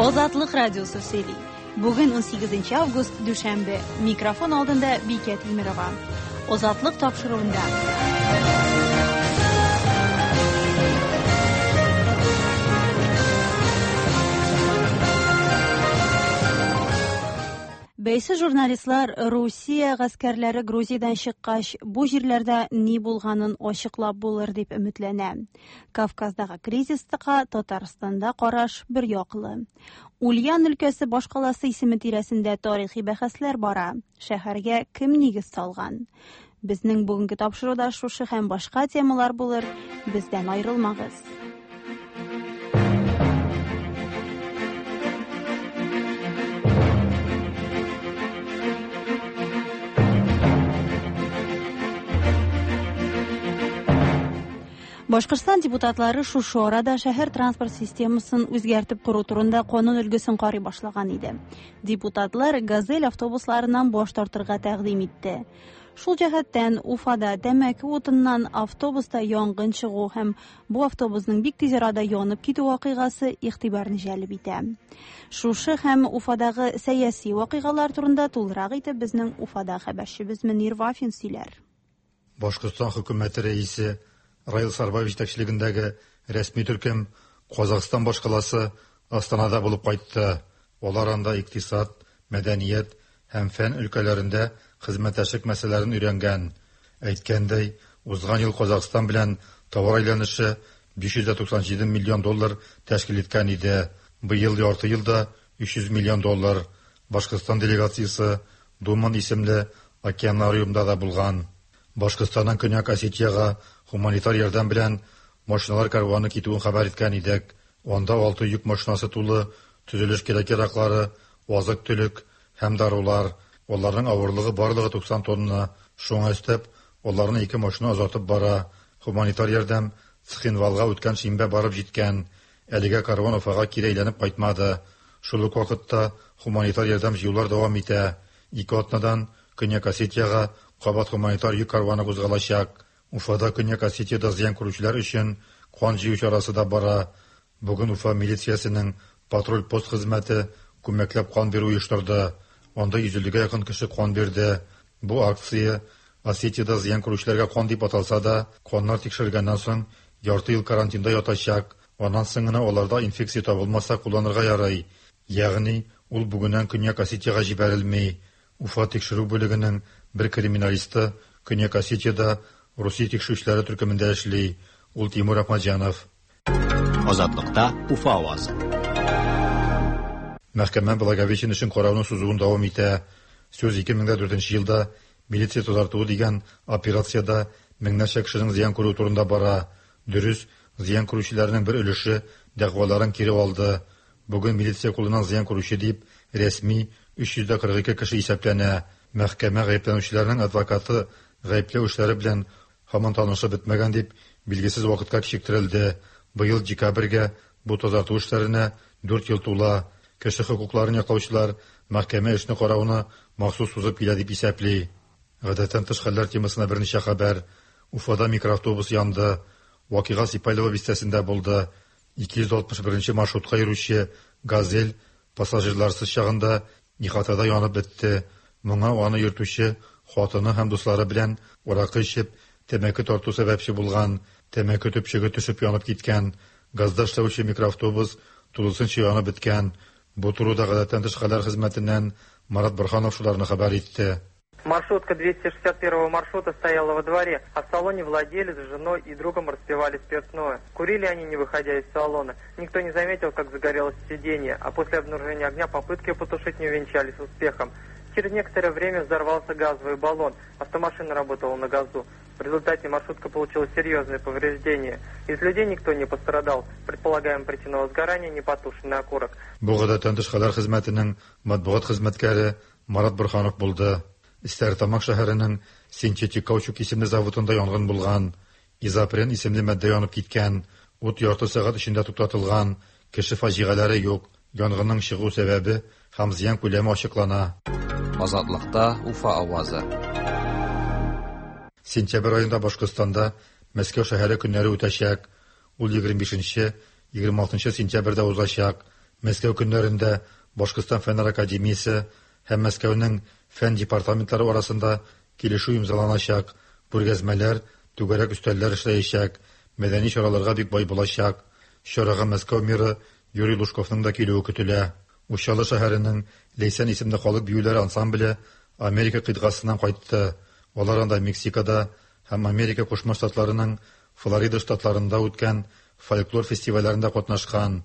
Азатлык радиосы сөйли. Бүген 18 август, дүшәмбе. Микрофон алдында Бикә Тимерова. Азатлык тапшыруында. Бәйсез журналистлар Русия гаскәрләре Грузиядән чыккач, бу җирләрдә ни булганын ачыклап булыр дип өметләнә. Кавказдагы кризиска Татарстанда караш бер яклы. Ульян өлкәсе башкаласы исеме тирәсендә тарихи бәхәсләр бара. Шәһәргә кем нигез салган? Безнең бүгенге тапшыруда шушы һәм башка темалар булыр. Бездән аерылмагыз. Башкортстан депутатлары шушы арада шәһәр транспорт системасын үзгәртеп кору турында канун өлгесен карый башлаган иде. Депутатлар «Газель» автобусларыннан баш тартырга тәкъдим итте. Шул җәһәттән Уфада тәмәке утыннан автобуста янгын чыгу һәм бу автобусның бик тиз арада янып китү вакыйгасы игътибарны җәлеп итә. Шушы һәм Уфадагы сәяси вакыйгалар турында тулырак итеп безнең Уфада хәбәрчебез Мөнир Вафин сөйләр. Башкортстан хөкүмәте рәисе Раил Сарбаев җитәкчелегендәге рәсми төркем Казахстан башкаласы Астанада булып кайтты. Алар анда икътисад, мәдәният һәм фән өлкәләрендә хезмәттәшлек мәсьәләләрен өйрәнгән. Әйткәндәй, узган ел Казахстан белән товар әйләнеше 597 миллион доллар тәшкил иткән иде. Быел ярты елда 300 миллион доллар. Башкортстан делегациясе Думан исемле океанариумда да булган. Башкортстаннан Көньяк Осетиягә гуманитар ярдәм белән машиналар карваны китүен хәбәр иткән идек. Анда 6 йөк машинасы тулы төзелеш кирәк-яраклары, азык-төлек һәм дарулар. Аларның авырлыгы барлыгы 90 тонна. Шуңа өстәп, аларны 2 машина озатып бара. Гуманитар ярдәм Цхинвалга үткән шимбә барып җиткән. Әлегә карван Уфага кире әйләнеп кайтмады. Шул ук вакытта гуманитар ярдәм җыюлар дәвам итә. 2 атнадан Көньяк Осетиягә кабат гуманитар йөк карваны кузгалачак. Уфада Көньяк Осетиядә зыян күрүчеләр өчен кан җыю чарасы да бара. Бүген Уфа милициясенең патруль-пост хезмәте күмәкләп кан бирү оештырды. Анда 150-гә якын кеше кан бирде. Бу акция Осетиядә зыян күрүчеләргә кан дип аталса да, каннар тикшерелгәннән соң ярты ел карантинда ятачак. Аннан соң гына аларда инфекция табылмаса кулланырга ярый. Ягъни ул бүгеннән Көньяк Осетиягә җибәрелми. Уфа тикшерү бүлегенең бер криминалисты Көньяк Осетиядә Русия тикшерүчеләре төркемендә эшли. Ул Тимур Ахмаджанов. Азатлыкта Уфа авазы. Мәхкәмә Благовещен эшен карауны сузуын дәвам итә. Сүз 2004 елда милиция тазартуы дигән операциядә меңнәрчә кешенең зыян күрүе турында бара. Дөрес, зыян күрүчеләрнең бер өлеше дәгъваларын кире алды. Бүген милиция кулыннан зыян күрүче дип рәсми 342 кеше исәпләнә. Мәхкәмә гаепләнүчеләрнең адвокаты гаепләү эшләре белән һаман танышып бетмәгән дип билгесез вакытка кичектерелде. Быел декабрьгә бу тазарту эшләренә 4 ел тула. Кеше хокукларын яклаучылар мәхкәмә эшне карауны махсус сузып килә дип исәпли. Гадәттән тыш хәлләр темасына берничә хәбәр. Уфада микроавтобус янды. Вакыйга Сипайлово бистәсендә булды. 261 маршрутка йөрүче «Газель» пассажирларсыз чагында ихатада янып бетте. Моңа аны йөртүче хатыны һәм дуслары белән аракы эчеп, тәмәке тарту сәбәпче булган. Тәмәке төпчеге төшеп янып киткән. Газда эшләүче микроавтобус тулысынча янып беткән. Бу турыда гадәттән тыш хәлләр хезмәтеннән Марат Борһанов шуларны хәбәр итте. Маршрутка 261 маршрута стояла во дворе, а в салоне владелец с женой и другом распивали спиртное. Курили они, не выходя из салона. Никто не заметил, как загорелось сиденье, а после обнаружения огня попытки потушить не увенчались успехом. Через некоторое время взорвался газовый баллон. Автомашина работала на газу. В результате маршрутка получила серьезные повреждения. Из людей никто не пострадал. Предполагаем, причина возгорания – непотушенный окурок. Бу гадәттән тыш хәлләр хезмәтенең матбугат хезмәткәре Марат Борһанов булды. Стәрлетамак шәһәренең синтетик каучук исемле заводында янгын булган. Изопрен исемле матдә янып киткән. Ут ярты сәгать эчендә туктатылган. Кеше фаҗигаләре юк. Янгынның чыгу сәбәбе һәм зыян күләме ачыклана. Азатлыкта Уфа авазы. Сентябрь аенда Башкортстанда Мәскәү шәһәре көннәре үтәчәк. Ул 25-26 сентябрьдә узачак. Мәскәү көннәрендә Башкортстан Фәннәр академиясе һәм Мәскәүнең фән департаментлары арасында килешү имзаланачак, күргәзмәләр, түгәрәк өстәлләр эшләячәк, мәдәни чараларга бик бай булачак. Чарага Мәскәү мэры Юрий Лужковның да килүе көтелә. Учалы шәһәренең Ләйсән исемле халык биюләре ансамбле Америка кыйтгасыннан кайтты. Алар анда Мексикада һәм Америка Кушма Штатларының Флорида штатларында үткән фольклор фестивальләрендә катнашкан.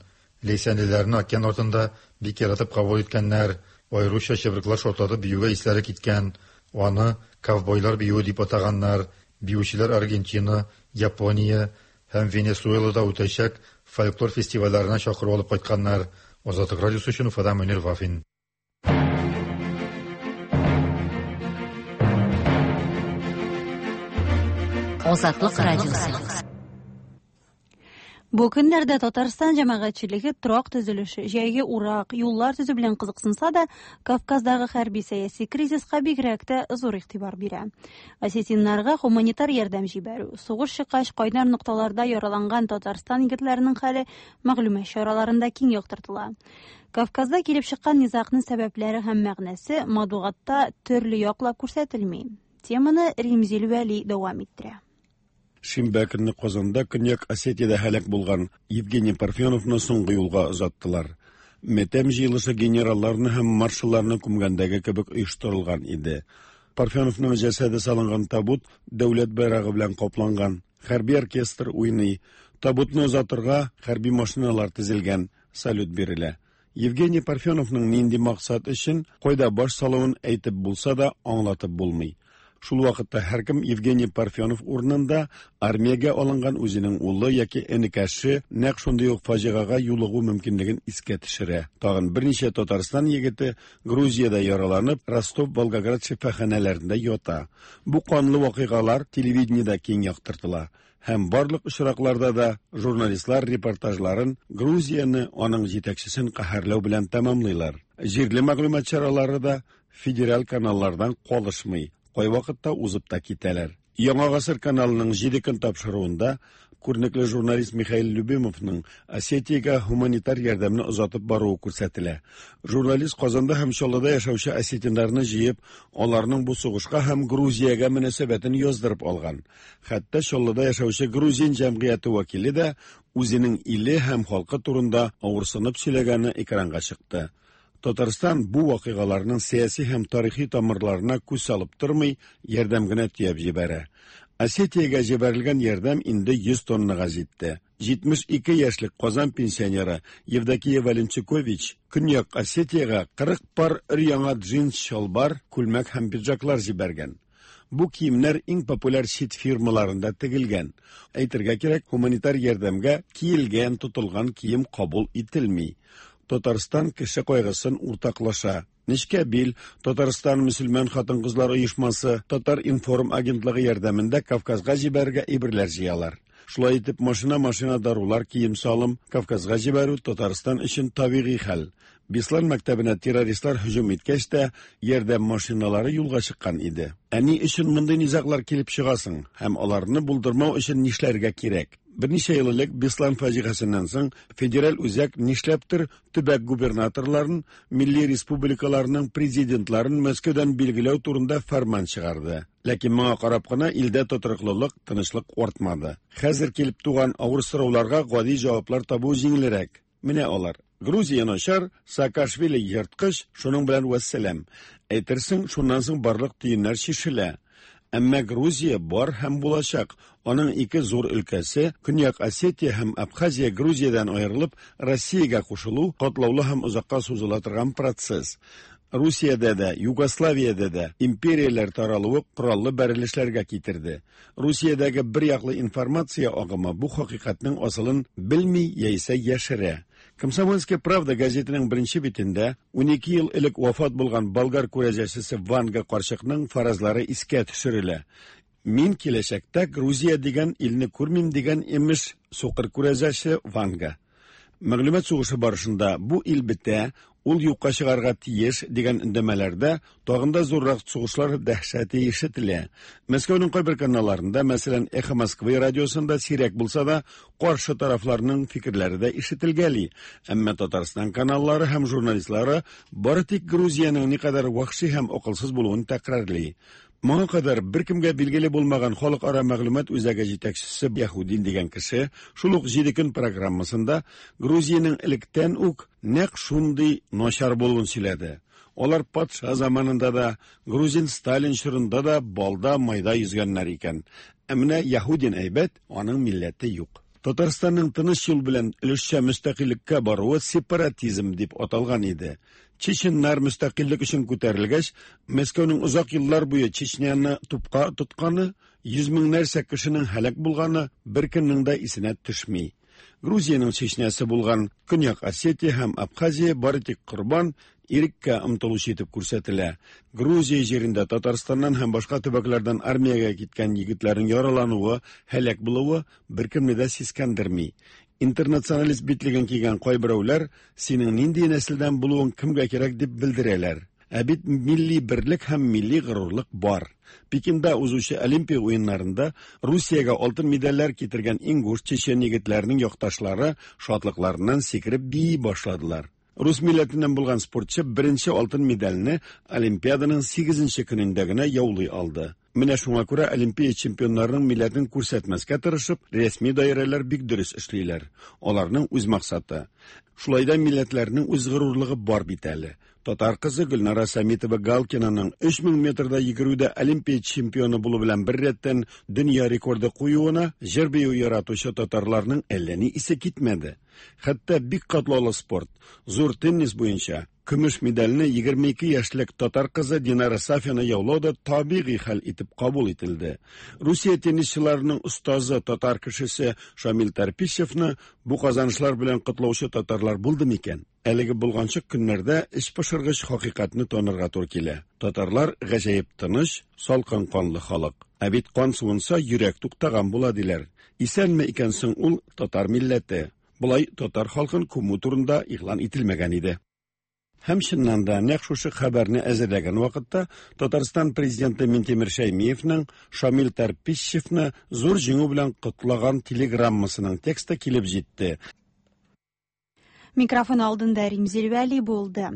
Ләйсәнлеләрне океан артында бик яратып кабул иткәннәр. Аеруча чыбыркылар шартлатып биюгә исләре киткән. Аны ковбойлар биюе дип атаганнар. Биючеләр Аргентина, Япония һәм Венесуэлада үтәчәк фольклор фестивальләренә чакыру алып кайтканнар. Азатлык радиосы өчен Уфадан Мөнир Вафин. Азатлык радиосы. Бу көннәрдә Татарстан җәмәгатьчелеге торак төзелеше, җәйге урак, юллар төзү белән кызыксынса да, Кавказдагы хәрби-сәяси кризиска бигрәк тә зур игътибар бирә. Осетиннарга гуманитар ярдәм җибәрү, сугыш чыккач кайнар нокталарда яраланган Татарстан егетләренең хәле мәгълүмат чараларында киң яктыртыла. Кавказда килеп чыккан низагның сәбәпләре һәм мәгънәсе матбугатта төрле яклап күрсәтелми. Теманы Римзил Вәли дәвам иттерә. Шимбә көнне Казанда Көньяк Осетиядә һәлак булган Евгений Парфеновны соңгы юлга озаттылар. Матәм җыелышы генералларны һәм маршалларны күмгәндәге кебек оештырылган иде. Парфеновның җәсәде салынган табут дәүләт байрагы белән капланган. Хәрби оркестр уйный. Табутны озатырга хәрби машиналар тезелгән, салют бирелә. Евгений Парфеновның нинди максат өчен кайда баш салуын әйтеп булса да, аңлатып булмый. Шул вакытта һәркем Евгений Парфенов урынында армиягә алынган үзенең улы яки энекәше нәкъ шундый ук фаҗигагә юлыгу мөмкинлеген искә төшерә. Тагын берничә Татарстан егете Грузиядә яраланып, Ростов, Волгоград шифаханәләрендә ята. Бу канлы вакыйгалар телевидениедә киң яктыртыла. Һәм барлык очракларда да журналистлар репортажларын Грузияне, аның җитәкчесен каһәрләү белән тәмамлыйлар. Җирле мәгълүмат чаралары да федераль каналлардан калышмый, кайвакытта узып та китәләр. Яңа гасыр каналының 7 көн тапшыруында күренекле журналист Михаил Любимовның Осетиягә гуманитар ярдәмне озатып баруы күрсәтелә. Журналист Казанда һәм Чаллыда яшәүче осетиннарны җыеп, аларның бу сугышка һәм Грузиягә мөнәсәбәтен яздырып алган. Хәтта Чаллыда яшәүче грузин җәмгыяте вәкиле дә үзенең иле һәм халкы турында авырсынып сөйләгәне экранга чыкты. Татарстан бу вакыйгаларның сәяси һәм тарихи тамырларына күз салып тормый, ярдәм генә төяп җибәрә. Осетиягә җибәрелгән ярдәм инде 100 тоннага җитте. 72 яшьлек Казан пенсионеры Евдокия Валенчукович Көньяк Осетиягә 40 пар өр-яңа джинс чалбар, күлмәк һәм пиджаклар җибәргән. Бу киемнәр иң популяр чит фирмаларында тегелгән. Әйтергә кирәк, гуманитар ярдәмгә киелгән, тотылган кием кабул ителми. Татарстан кеше кайгысын уртаклаша. Нечкә бил, Татарстан мөселман хатын-кызлар оешмасы, Татар информ агентлыгы ярдәмендә Кавказга җибәрергә әйберләр җыялар. Шулай итеп, машина-машина дарулар, кием-салым Кавказга җибәрү Татарстан өчен табигый хәл. Беслан мәктәбенә террористлар һөҗүм иткәч тә, ярдәм машиналары юлга чыккан иде. Ә ни өчен мондый низаглар килеп чыгасың һәм аларны булдырмау өчен нишләргә кирәк? Берничә ел элек Беслан фаҗигасын соң федераль үзәк нишләптер төбәк губернаторларын, милли республикаларның президентларын Мәскәүдән билгеләү турында фәрман чыгарды. Ләкин моңа карап кына илдә тотрыклылык, тынычлык артмады. Хәзер килеп туган авыр сорауларга гади җаваплар табу җиңелрәк. Менә алар. Грузия начар, Саакашвили ерткыч, шуның белән вәссәлам. Әйтерсең, шуннан соң барлык төеннәр чишелә. Әмма Грузия бар һәм булачак. Аның ике зур өлкәсе, Көньяк Осетия һәм Абхазия Грузиядән аерылып, Россиягә кушылу катлаулы һәм озакка сузыла торган процесс. Русиядә дә, Югославиядә дә империяләр таралуы кораллы бәрелешләргә китерде. Русиядәге бер яклы информация агымы бу хакыйкатьнең асылын белми яисә яшерә. Комсомольская правда газетының беренче битендә 12 ел элек вафат булган болгар күрәзәчесе Ванга карчыкның фаразлары искә төшерелә. Мин киләчәктә Грузия дигән илне күрмим дигән имеш сукыр күрәзәче Ванга. Мәгълүмат сугышы барышында бу ил бетә, Ул юкка чыгарга тиеш дигән өндәмәләрдә тагын да зуррак сугышлар дәһшәте ишетелә. Мәскәүнең кайбер каналларында, мәсәлән, Эхо Москвы радиосында сирәк булса да, каршы тарафларның фикерләре дә ишетелгәли. Әмма Татарстан каналлары һәм журналистлары бары тик Грузиянең никадәр вәхши һәм акылсыз булуын тәкрарлый. Моңа кадәр беркемгә билгеле булмаган халыкара мәгълүмат үзәге җитәкчесе Яһудин дигән кеше шул ук 7 көн программасында Грузиянең электән үк нәкъ шундый начар булуын сөйләде. Алар патша заманында да, грузин Сталин чорында да балда майда йөзгәннәр икән. Ә менә Яһудин әйбәт, аның милләте юк. Татарстанның тыныч юл белән өлешчә мөстәкыйльлеккә баруы сепаратизм дип аталган иде. Чеченнар мөстәкыйльлек өчен күтәрелгәч, Мәскәүнең озак еллар буе Чечняны тупка тотканы, йөз меңнәрчә кешенең һәлак булганы беркемнең дә исенә төшми. Грузиянең Чечнясы булган Көньяк Осетия һәм Абхазия бары тик корбан, иреккә омтылучы итеп күрсәтелә. Грузия җирендә Татарстаннан һәм башка төбәкләрдән армиягә киткән егетләрнең яралануы, һәлак булуы беркемне дә сискәндерми. Интернационалист битлеген кигән кайберәүләр синең нинди нәселдән булуың кемгә кирәк дип белдерәләр. Ә бит милли берлек һәм милли горурлык бар. Пекинда узучы Олимпия уеннарында Русиягә алтын медальләр китергән ингуш, чечен егетләренең якташлары шатлыкларыннан сикереп бии башладылар. Рус милләтеннән булган спортчы беренче алтын медальне Олимпиаданың 8 көнендә генә яулый алды. Менә шуңа күрә Олимпия чемпионнарының милләтен күрсәтмәскә тырышып, рәсми даирәләр бик дөрес эшлиләр. Аларның үз максаты. Шулай да милләтләрнең үз горурлыгы бар бит әле. Татар кызы Гөлнара Самитова Галкинаның 3000 метрда йөгерүдә Олимпия чемпионы булу белән бер рәттән дөнья рекорды куюына җыр-бию яратучы татарларның әллә ни исе китмәде. Хәтта бик катлаулы спорт, зур теннис буенча көмеш медальне 22 яшьлек татар кызы Динара Сафина яулау да табигый хәл итеп кабул ителде. Русия теннисчыларының остазы татар кешесе Шамил Тарпищевны бу казанышлар белән котлаучы татарлар булды микән? Әлеге булганчык көннәрдә эчпошыргыч хакыйкатьне танырга туры килә. Татарлар гаҗәеп тыныч, салкын канлы халык. Ә бит кан суынса, йөрәк туктаган була диләр. Исәнме икән соң ул татар милләте? Болай татар халкын күмү турында игълан ителмәгән иде. Һәм чыннан да нәкъ шушы хәбәрне әзерләгән вакытта Татарстан президенты Минтимер Шәймиевның Шамил Тарпищевны зур җиңү белән котлаган телеграммасының тексты килеп җитте. Микрофон алдында Римзил Вәли булды.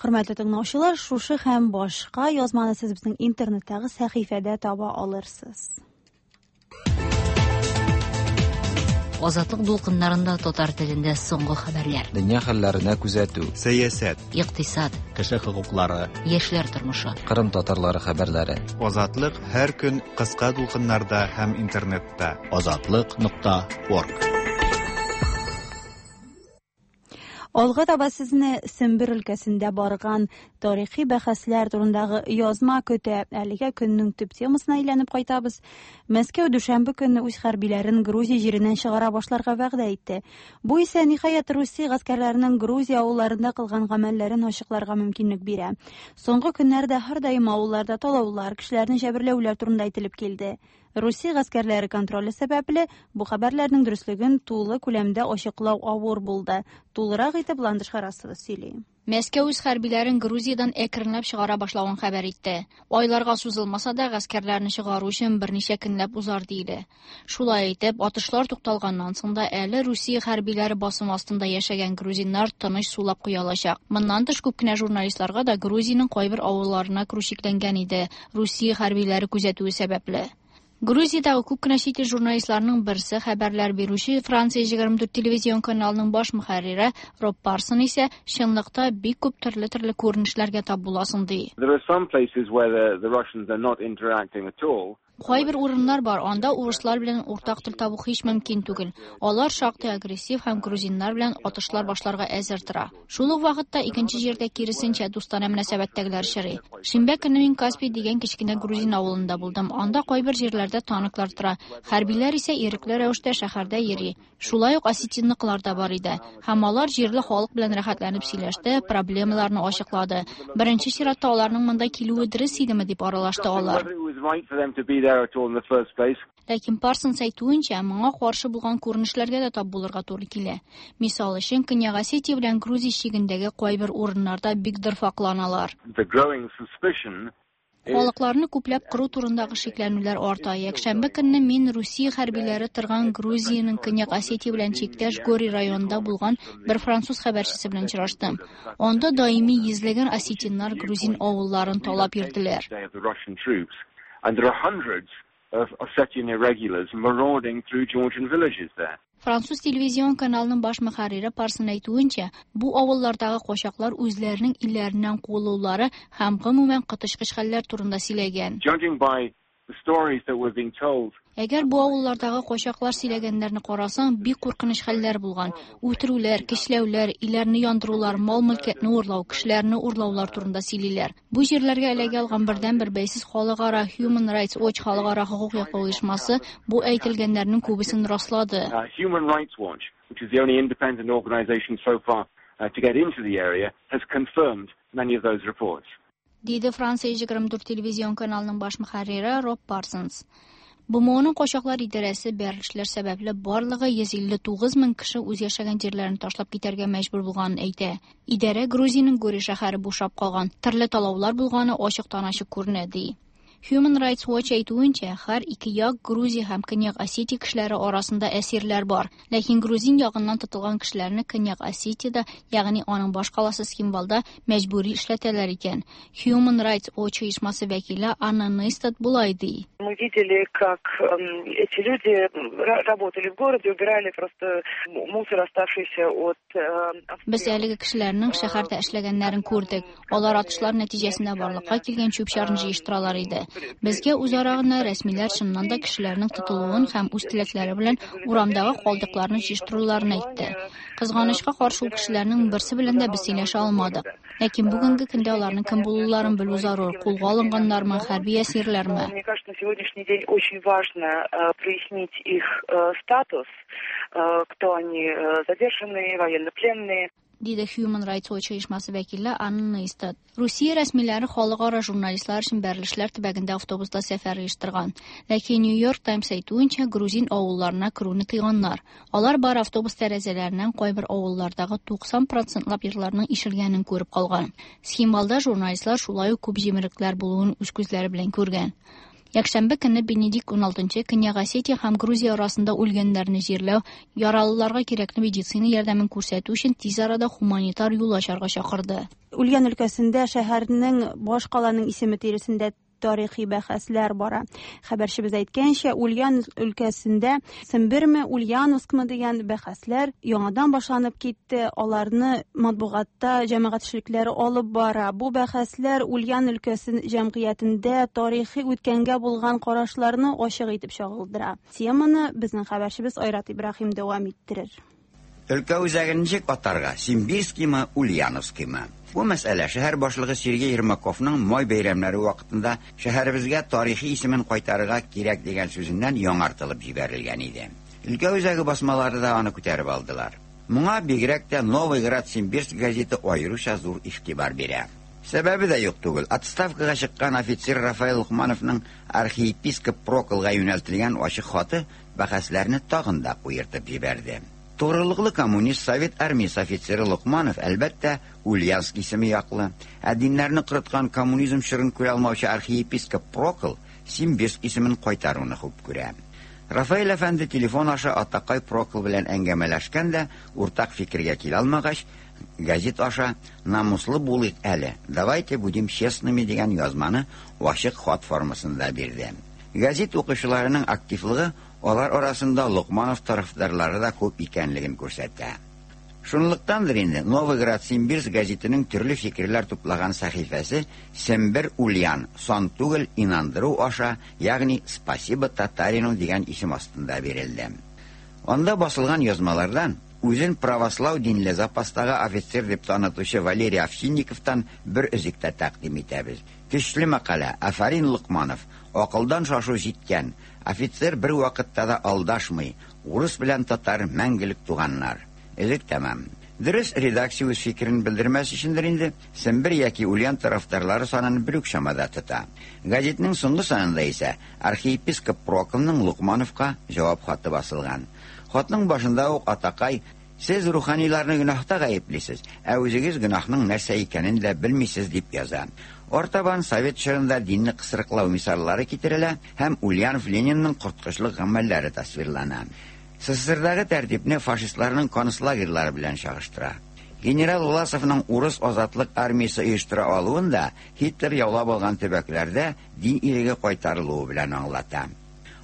Хөрмәтле тыңлаучылар, шушы һәм башка язманы сез безнең интернеттагы сәхифәдә таба алырсыз. Азатлык дулкыннарында татар телендә соңгы хәбәрләр. Дөнья хәлләренә күзәтү. Сәясәт. Икътисад. Кеше хокуклары. Яшьләр тормышы. Кырым татарлары хәбәрләре. Азатлык һәр көн кыска дулкыннарда һәм интернетта. Азатлык.орг. Алга таба сезне Сембер өлкәсендә барган тарихи бәхәсләр турындагы язма көтә. Әлегә көннең төп темасына әйләнеп кайтабыз. Мәскәү дүшәмбе көнне үз хәрбиләрен Грузия җиреннән чыгара башларга вәгъдә итте. Бу исә ниһаять Русия гаскәрләренең Грузия авылларында кылган гамәлләрен ачыкларга мөмкинлек бирә. Соңгы көннәрдә һәрдаим авылларда талаулар, кешеләрне җәберләүләр турында әйтелеп килде. Русия гаскәрләре контроле сәбәпле бу хәбәрләрнең дөреслеген тулы күләмдә ачыклау авыр булды. Тулырак итеп Ландыш Харасова сөйли. Мәскәү үз хәрбиләрен Грузиядән әкренләп чыгара башлавын хәбәр итте. Айларга сузылмаса да, гаскәрләрне чыгару өчен берничә көнләп узар диелә. Шулай итеп, атышлар тукталганнан соң да әле Русия хәрбиләре басым астында яшәгән грузиннар тыныч сулап куя алачак. Моннан тыш күп кенә журналистларга да Грузиянең кайбер авылларына керү чикләнгән иде, Русия хәрбиләре күзәтүе сәбәпле. Грузиядәге күп кенә чит ил журналистларының берсе хәбәрләр бирүче Франция 24 телевизион каналының баш мөхәррире Роб Парсон исә чынлыкта бик күп төрле-төрле күренешләргә тап буласың ди. There are some places where the Russians are not interacting at all. Кайбер урыннар бар, анда урыслар белән уртак тел табу һич мөмкин түгел. Алар шактый агрессив һәм грузиннар белән атышлар башларга әзер тора. Шул ук вакытта икенче җирдә киресенчә дустанә мөнәсәбәттәгеләр очрый. Шимбә көнне мин Каспий дигән кечкенә грузин авылында булдым. Анда кайбер җирләрдә танклар тора. Хәрбиләр исә ирекле рәвештә шәһәрдә йөри. Шулай ук осетинныкылар да бар иде. Һәм алар җирле халык белән рәхәтләнеп сөйләште, проблемаларны ачыклады. Беренче чиратта аларның монда килүе дөрес идеме дип аралашты алар. Whether it was right for them to be there at all in the first place. Ләкин Парсонс әйтүенчә, моңа каршы булган күренешләргә дә тап булырга туры килә. Мисал өчен, Көньяк Осетия белән Грузия чигендәге кайбер урыннарда бик дорфакланалар. The growing suspicion Халыкларны күпләп кыру турындагы шикләнүләр арта. Якшәмбе көнне мин Русия хәрбиләре торган Грузиянең Көньяк Осетия белән чиктәш Гори районында булган бер француз хәбәрчесе белән очраштым. Анда даими йөзләгән осетиннар грузин авылларын талап йөрделәр. And there are hundreds of Ossetian irregulars marauding through Georgian villages there. Француз телевизион каналының баш мөхәррире Парсон әйтүенчә, бу авыллардагы качаклар үзләренең илләреннән куылулары һәм гомумән коточкыч хәлләр турында сөйләгән. Judging by the stories that were being told Әгәр бу авыллардагы качаклар сөйләгәннәрне карасаң, бик куркыныч хәлләр булган. Үтерүләр, көчләүләр, өйләрне яндырулар, мал-мөлкәтне урлау, кешеләрне урлаулар турында сөйлиләр. Бу җирләргә эләгә алган бердәнбер бәйсез халыкара Human Rights Watch халыкара хокук яклау оешмасы бу әйтелгәннәрнең күбесен раслады. Human Rights Watch, which is the only independent organization so far to get into the area, has confirmed many of those reports. Диде Франция 24 телевизион каналының баш мөхәррире Роб Парсонс. БМОның качаклар идарәсе бәрелешләр сәбәпле барлыгы 159 мең кеше үз яшәгән җирләрен ташлап китәргә мәҗбүр булганын әйтә. Идарә Грузиянең Гори шәһәре бушап калган, төрле талаулар булганы ачыктан-ачык күренә, ди. Human Rights Watch әйтүенчә, һәр ике як Грузия һәм Көньяк Осетия кешеләре арасында әсирләр бар. Ләкин грузин ягыннан тотылган кешеләрне Көньяк Осетиядә, ягъни аның башкаласы Цхинвалда мәҗбүри эшләтәләр икән. Human Rights Watch оешмасы вәкиле Анна Нейстат болай ди. Мы видели, как эти люди работали в городе, убирали просто мусор, оставшийся от Без әлеге кешеләрнең шәһәрдә эшләгәннәрен күрдек. Алар атышлар нәтиҗәсендә барлыкка килгән чүп-чарны җыештыралар иде. Безгә үзара гына рәсмиләр чыннан да кешеләрнең тотылуын һәм үз теләкләре белән урамдагы калдыкларны җыештыруларын әйтте. Кызганычка каршы, ул кешеләрнең берсе белән дә без сөйләшә алмадык. Ләкин бүгенге көндә аларның кем булуларын белү зарур. Кулга алынганнармы, хәрби әсирләрме? Мне кажется, на сегодняшний день очень важно прояснить их статус, кто они, задержанные, военнопленные. Диде Human Rights Watch оешмасы вәкиле Анна Нейстат. Русия рәсмиләре халыкара журналистлар өчен бәрелешләр төбәгендә автобуста сәфәр оештырган. Ләкин New York Times әйтүенчә, грузин авылларына керүне тыйганнар. Алар бар автобус тәрәзәләреннән кайбер авыллардагы 90 процентлап йортларның ишелгәнен күреп калган. Цхинвалда журналистлар шулай ук күп җимерекләр булуын үз күзләре белән күргән. Якшәмбе көнне Бенедикт XVI Көньяк Осетия һәм Грузия арасында үлгәннәрне җирләү, яралыларга кирәкле медицина ярдәмен күрсәтү өчен тиз арада гуманитар юл ачарга чакырды. Ульян өлкәсендә шәһәрнең башкаланың исеме тирәсендә тарихи бәхәсләр бара. Хәбәрчебез әйткәнчә, Ульян өлкәсендә Семберме, Ульяновскмы дигән бәхәсләр яңадан башланып китте. Аларны матбугатта җәмәгать эшлекләре алып бара. Бу бәхәсләр Ульян өлкәсе җәмгыятендә тарихи үткәнгә булган карашларны ачык итеп чагылдыра. Теманы безнең хәбәрчебез Айрат Ибраһим дәвам иттерер. Өлкә үзәген ничек атарга? Симбирскиймы, Ульяновскиймы? Бу мәсьәлә шәһәр башлыгы Сергей Ермаковның май бәйрәмнәре вакытында шәһәребезгә тарихи исемен кайтарырга кирәк дигән сүзеннән яңартылып җибәрелгән иде. Өлкә үзәге басмалары да аны күтәреп алдылар. Моңа бигрәк тә Новый Град Симбирск газеты аеруча зур игътибар бирә. Сәбәбе дә юк түгел. Отставкага чыккан офицер Рафаэль Лукмановның архиепископ Проклга юнәлтелгән ачык хаты бәхәсләрне тагын да куертып җибәрде. Тугрылыклы коммунист совет армиясе офицеры Лукманов, әлбәттә, Ульяновск исеме яклы. Ә диннәрне корыткан коммунизм чорын күрә алмаучы архиепископ Прокл Симбирск исемен кайтаруны хуп күрә. Рафаэль әфәнде телефон аша атакай Прокл белән әңгәмәләшкән дә, уртак фикергә килә алмагач, газет аша намуслы булыйк әле, давайте будем честными дигән язманы ачык хат формасында бирде. Газет укучыларының активлыгы алар арасында Лукманов тарафдарлары да күп икәнлеген күрсәтә. Шунлыктандыр инде Новый Град Симбирск газетының төрле фикерләр туплаган сәхифәсе Сембер Ульян сан түгел инандыру аша, ягъни Спасибо татарину дигән исем астында бирелде. Анда басылган язмалардан үзен православ динле запастагы офицер дип танытучы Валерий Овчинниковтан бер өзек тә тәкъдим итәбез. Көчле мәкалә, афәрин Лукманов, акылдан шашу җиткән. Офицер бер вакытта да алдашмый. Урыс белән татар мәңгелек туганнар. Элек тәмам. Дөрес, редакция үз фикерен белдермәс өчендер инде, Сембер яки Ульян тарафдарлары санын бер үк чамада тота. Газетның соңгы санында исә архиепископ Проклның Лукмановка җавап хаты басылган. Хатның башында ук атакай Сез руханиларны гөнаһта гаеплисез, ә үзегез гөнаһның нәрсә икәнен дә белмисез, дип яза. Артабан совет чорында динне кысрыклау мисаллары китерелә һәм Ульянов Ленинның корткычлык гамәлләре тасвирлана. СССРдагы тәртипне фашистларның концлагерьлары белән чагыштыра. Генерал Власовның урыс азатлык армиясе оештыра алуын да Һитлер яулап алган төбәкләрдә дин иреге кайтарылуы белән аңлата.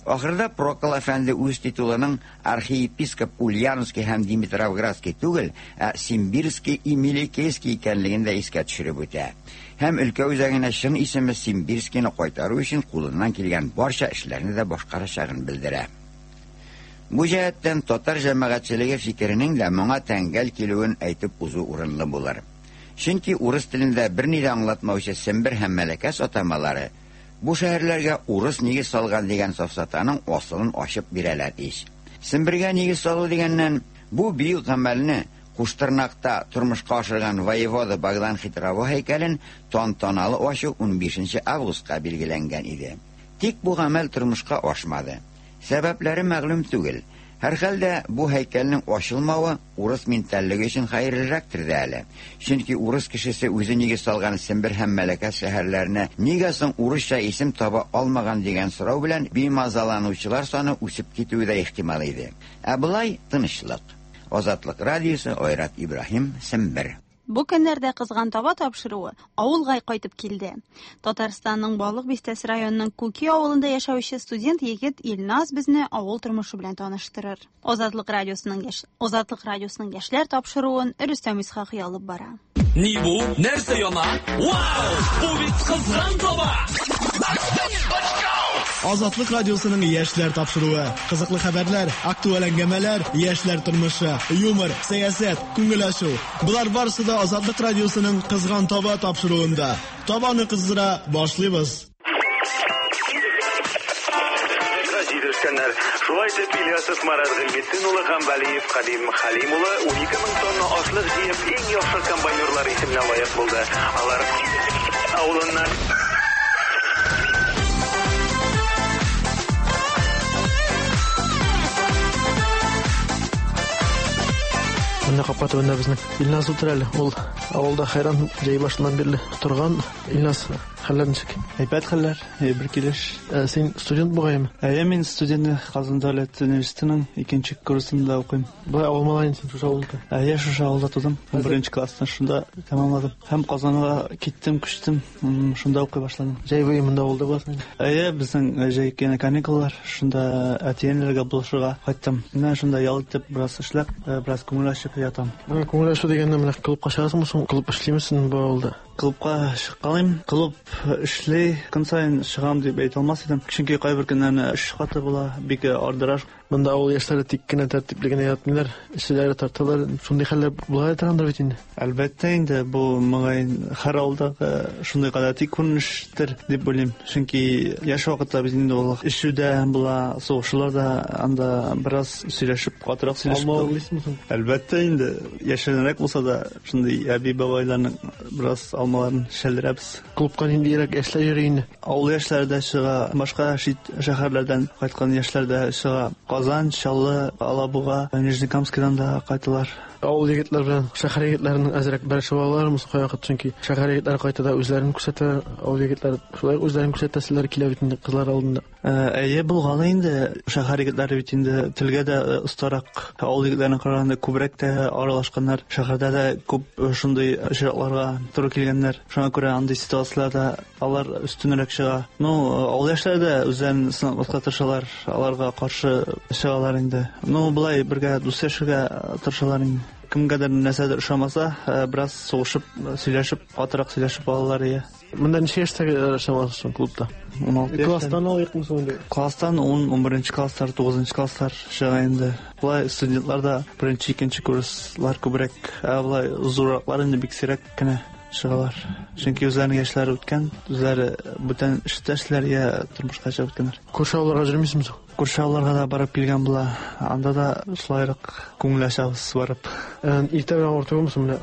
Ахырда Прокл әфәнде үз титулының архиепископ Ульяновский һәм Димитровградский түгел, ә Симбирский и Мелекесский икәнлеген дә искә төшереп үтә. Һәм өлкә үзәгенә чын исеме Симбирскийны кайтару өчен кулыннан килгән барча эшләрне дә башкарачагын белдерә. Бу җәһәттән татар җәмәгатьчелеге фикеренең дә моңа тәңгәл килүен әйтеп узу урынлы булыр. Чөнки урыс телендә берни дә аңлатмаучы Сембер һәм Мәләкәс атамалары бу шәһәрләргә урыс нигез салган дигән сафсатаның асылын ачып бирәләр ич. Сембергә нигез салу дигәннән, бу бөек гамәлне Куштырнакта тормышка ашырган воевода Богдан Хитрово һәйкәлен тантаналы ачу 15 августка билгеләнгән иде. Тик бу гамәл тормышка ашмады. Сәбәпләре мәгълүм түгел. Һәрхәлдә бу һәйкәлнең ачылмавы урыс ментальлеге өчен хәерлерәктер дә әле. Чөнки урыс кешесе үзе нигез салган Сембер һәм Мәләкәс шәһәрләренә нигә соң урысча исем таба алмаган дигән сорау белән бимазаланучылар саны үсеп китүе дә ихтимал иде. Ә болай тынычлык. Азатлык радиосы, Айрат Ибраһим, Сембер. Бу көннәрдә Кызган таба тапшыруы авылга кайтып килде. Татарстанның Балык Бистәсе районының Күки авылында яшәүче студент егет Илназ безне авыл тормышы белән таныштырыр. Азатлык радиосының яшь Азатлык радиосының яшьләр тапшыруын Рөстәм Исхакый алып бара. Ни бу? Нәрсә яна? Вау! Бу бит кызган таба! Азатлык радиосының яшьләр тапшыруы. Кызыклы хәбәрләр, актуаль әңгәмәләр, яшьләр тормышы, юмор, сәясәт, күңел ачу. Болар барысы да Азатлык радиосының Кызган таба тапшыруында. Табаны кыздыра башлыйбыз. Газиз өлкәннәр. Шулай итеп, Ильясов Марат Гыйльметдин улы һәм Вәлиев Кадим Хәлим улы 12 мең тонна ашлык җыеп, иң яхшы комбайнерлар исеменә лаек булды. Алар авылыннан. Менә капка төбендә безнең Илназ утыра әле. Ул авылда хәйран җәй башыннан бирле торган. Илназ, хәлләр ничек? Әйбәт хәлләр, бер килеш. Син студент бугаймы? Әйе, мин студент, Казан дәүләт университетының икенче курсында укыйм. Болай авыл малае син, шушы авылда? Әйе, шушы авылда тудым. 11 классны шунда тәмамладым. Һәм Казанга киттем, күчтем. Шунда укый башладым. Җәй буе монда авылда буласың инде? Әйе, безнең җәй көне каникуллар. Шунда әти-әниләргә булышырга кайттым. Менә шунда ял итеп, бераз эшләп, бераз күңел ачып ятам. Менә күңел ачу дигәндә, менә клубка чыгасыңмы соң? Клуб эшлиме син бу авылда? Клубка чыккалыйм. Клуб эшли, көн саен чыгам дип әйтә алмас идем. Чөнки кайбер көннәрне эш каты була, бик ардыра. Монда авыл яшьләре тик кенә тәртипле генә ятмыйлар, эчәләр, тарталар. Шундый хәлләр була торгандыр бит инде. Әлбәттә инде, бу мөгаен һәр авылдагы шундый гадәти күренештер дип уйлыйм. Чөнки яшь вакытта бит инде ул эчү дә була, сугышулар да, анда бераз сөйләшеп, катырак сөйләшеп. Алма урлыйсыңмы соң? Әлбәттә инде, яшеренрәк булса да, шундый әби-бабайларның бераз алмаларын шәлдерәбез. Клубка ниндирәк яшьләр йөри инде? Авыл яшьләре дә чыга, башка чит шәһәрләрдән кайткан яшьләр дә чыга. Казан, Чаллы, Алабуга, Нижнекамскидан да кайталар. Авыл егетләр белән шәһәр егетләренең әзрәк бәрелешеп алалармы соң кайвакыт? Чөнки шәһәр егетләре кайта да үзләрен күрсәтә, авыл егетләре шулай ук үзләрен күрсәтәселәре килә бит инде кызлар алдында. Әйе, булганы инде. Шәһәр егетләре бит инде телгә дә остарак, авыл егетләренә караганда күбрәк тә аралашканнар. Шәһәрдә дә күп шундый очракларга туры килгәннәр. Шуңа күрә андый ситуацияләрдә алар өстенрәк чыга. Ну, авыл яшьләре дә үзләрен сынатмаска тырышалар, аларга каршы чыгалар инде. Ну, болай бергә дус яшәргә тырышалар инде. Кемгәдер нәрсәдер ошамаса, бераз сугышып, сөйләшеп, катырак сөйләшеп алалар, иә. Монда ничә яшьтәге чамасы соң клубта? 16 яшьтән. Класстан алыйкмы соң инде? Класстан 10, 11 класслар, 9 класслар чыга инде. Болай студентлар да беренче, икенче курслар күбрәк, ә болай зурраклар инде бик сирәк кенә чыгалар. Чөнки үзләренең яшьләре үткән, үзләре бүтән эштә эшләр я тормышка чыгып беткәннәр. Күрше авылларга йөрмисеңме соң? Күрше авылларга да барып килгән була. Анда да шулайрак күңел ачабыз барып. Иртә белән авыр түгелме соң? Менә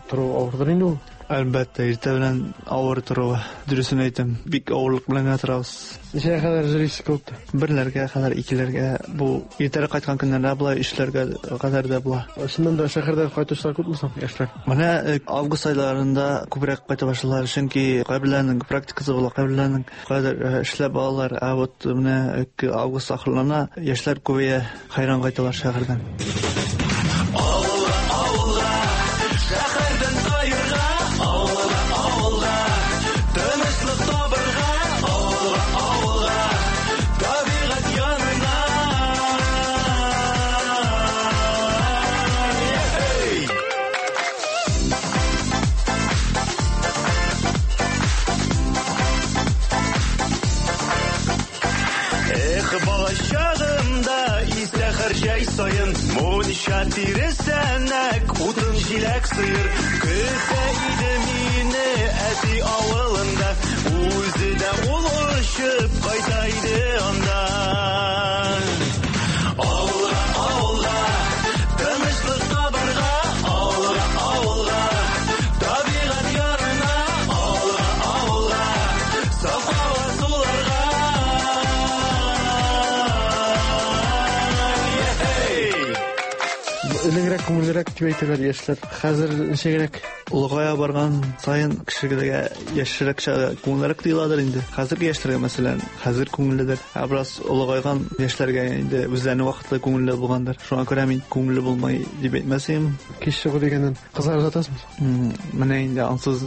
тору авырдыр инде ул. Әлбәттә, иртә белән авыр торуы. Дөресен әйтәм, бик авырлык белән генә торабыз. Ничәгә кадәр йөрисез клубта? Берләргә кадәр, икеләргә. Бу иртәрәк кайткан көннәрдә була, өчләргә кадәр дә була. Чыннан да шәһәрдән кайтучылар күпме соң, яшьләр? Менә август айларында күбрәк кайта башлыйлар, чөнки кайберләренең практикасы була, кайберләренең кайдыр эшләп алалар. Ә вот менә август ахырлана, яшьләр күбәя, хәйран кайталар шәһәрдән. Авылга, авылга, шәһәрдән таерга, авылга, авылга, тынычлык табырга, авылга, авылга, табигать янына. Эй! Эх, балачагымда истә һәр җәй саен мунча тиресәнәк, утын җиләк сыер көтә иде мине әти авылында. Үзе дә ул очып кайта иде анда. Авылга, авылга, тынычлык табырга, авылга, авылга, табигать янына, авылга, авылга, саф һава суларга. Ей! Элегрәк күңеллерәк дип әйтәләр яшьләр. Хәзер ничегрәк? Олыгая барган саен кешегә яшьрәк чагы күңеллерәк тоеладыр инде. Хәзерге яшьләргә, мәсәлән, хәзер күңелледер. Ә бераз олыгайган яшьләргә инде үзләренең вакытлы күңелле булгандыр. Шуңа күрә мин күңелле булмый дип әйтмәс идем. Кич чыгу дигәннән кызлар озатасызмы? Менә инде ансыз,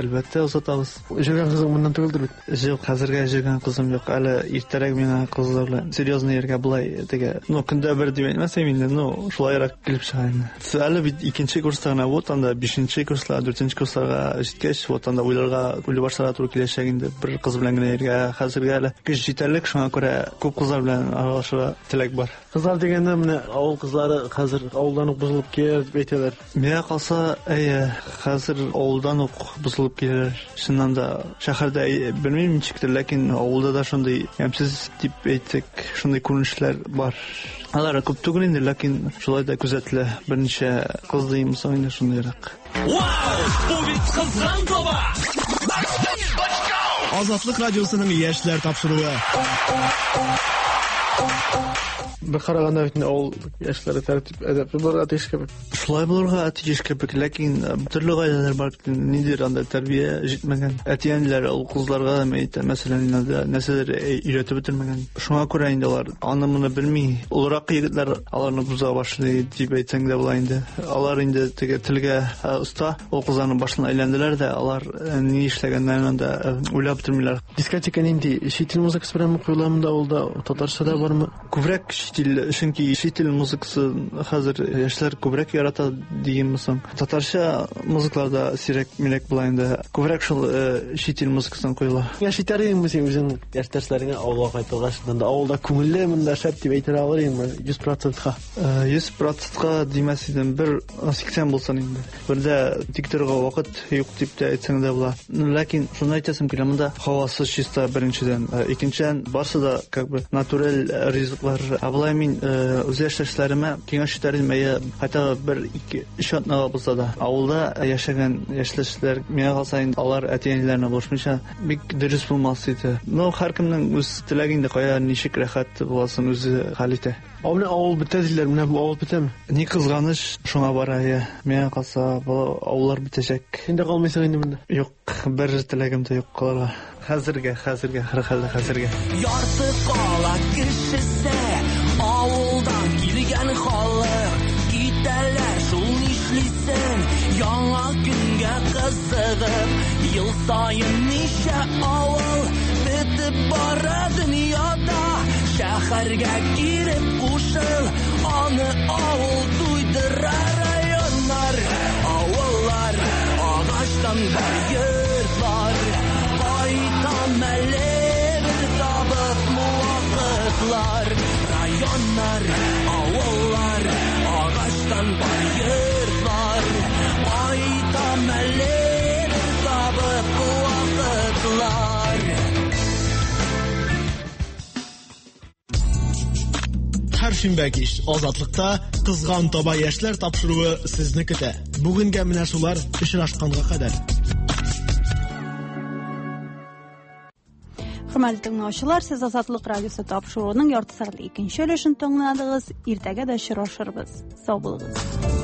әлбәттә, озатабыз. Җөргән кызың моннан түгелдер бит? Юк, хәзергә җөргән кызым юк. Әле иртәрәк миңа кызлар белән серьезный йөргә болай теге, ну, көндә бер дип әйтмәс идем инде, ну, шулайрак килеп чыга инде. Әле бит икенче курста гына, вот анда бишенче курслар, дүртенче курсларга җиткәч, вот анда уйларга, уйлый башларга туры киләчәк инде. Бер кыз белән генә йөргә хәзергә әле көч җитәрлек, шуңа күрә күп кызлар белән аралашырга теләк бар. Кызлар дигәндә, менә авыл кызлары хәзер авылдан ук бозылып киләләр дип әйтәләр. Миңа калса, әйе, хәзер авылдан ук бозылып киләләр. Чыннан да, шәһәрдә белмим ничектер, ләкин авылда да шундый ямьсез дип әйтсәк, шундый күренешләр бар. Алар күп түгел инде, ләкин шулай да күзәтелә. Берничә кыз димме соң инде шундыйрак. Вау! Бу бит кызган таба! Азатлык радиосының яшьләр тапшыруы. Бер караганда бит инде авыл яшьләре тәртип, әдәпле булырга тиеш кебек. Шулай булырга тиеш кебек, ләкин төрле гаиләләр бар бит, ниндидер анда тәрбия җитмәгән. Әти-әниләр ул кызларга да әйтә, мәсәлән, инде нәрсәдер өйрәтеп бетермәгән. Шуңа күрә инде алар аны-моны белми. Олырак егетләр аларны боза башлый дип әйтсәң дә була инде. Алар инде теге телгә оста, ул кызларның башын әйләнделәр дә, алар ни эшләгәннәрен анда уйлап бетермиләр. Дискотека нинди? Чит ил музыкасы беләнме куела монда авылда? Татарча да бармы? Күбрәк чит ил, чөнки чит ил музыкасы хәзер яшьләр күбрәк ярата дигәнме соң. Татарча музыклар да сирәк-мирәк була инде. Күбрәк шул чит ил музыкасын куела. Киңәш итәр идеңме син үзең яшьтәшләреңә авылга кайтырга? Чыннан да авылда күңелле, монда шәп дип әйтә алыр идеңме? 100%-ка. 100%-ка димәс идем, бер 80 булсын инде. Бер дә тик торырга вакыт юк дип тә әйтсәң дә була. Ләкин шуны әйтәсем килә, монда һавасы чиста беренчедән, икенчедән барсы да как бы натураль ризыклар. Ә болай мин үз яшьтәшләремә киңәш итәр идем, әйе, хотя бы бер, ике, өч атнага булса да. Авылда яшәгән яшьтәшләр, миңа калса инде алар әти-әниләренә булышмыйча бик дөрес булмас иде. Но һәркемнең үз теләге инде, кая ничек рәхәт буласын үзе хәл итә. Ә менә авыл бетә диләр, менә бу авыл бетәме? Ни кызганыч, шуңа бара, әйе. Миңа калса, бу авыллар бетәчәк. Син дә калмыйсың инде монда? Юк, бер теләгем дә юк калырга. Хәзергә, хәзергә, һәрхәлдә хәзергә. Ярты кала кешесе, авылдан килгән халык, китәләр шул нишлисең, яңа көнгә кызыгып, ел саен ничә авыл бетеп бара дөньяда, шәһәргә килеп кушыл, аны авыл туйдыра. Районнар, авыллар, агачтан бар йортлар, кайтам әле бер табып вакытлар. Районнар, авыллар, агачтан бар йортлар, кайтам әле бер табып вакытлар. Һәр шимбә кич Азатлыкта Кызган таба яшьләр тапшыруы сезне көтә. Бүгенгә менә шулар, очрашканга кадәр. Хөрмәтле тыңлаучылар, сез Азатлык радиосы тапшыруының ярты сәгатьлек икенче өлешен тыңладыгыз. Иртәгә дә очрашырбыз. Сау булыгыз.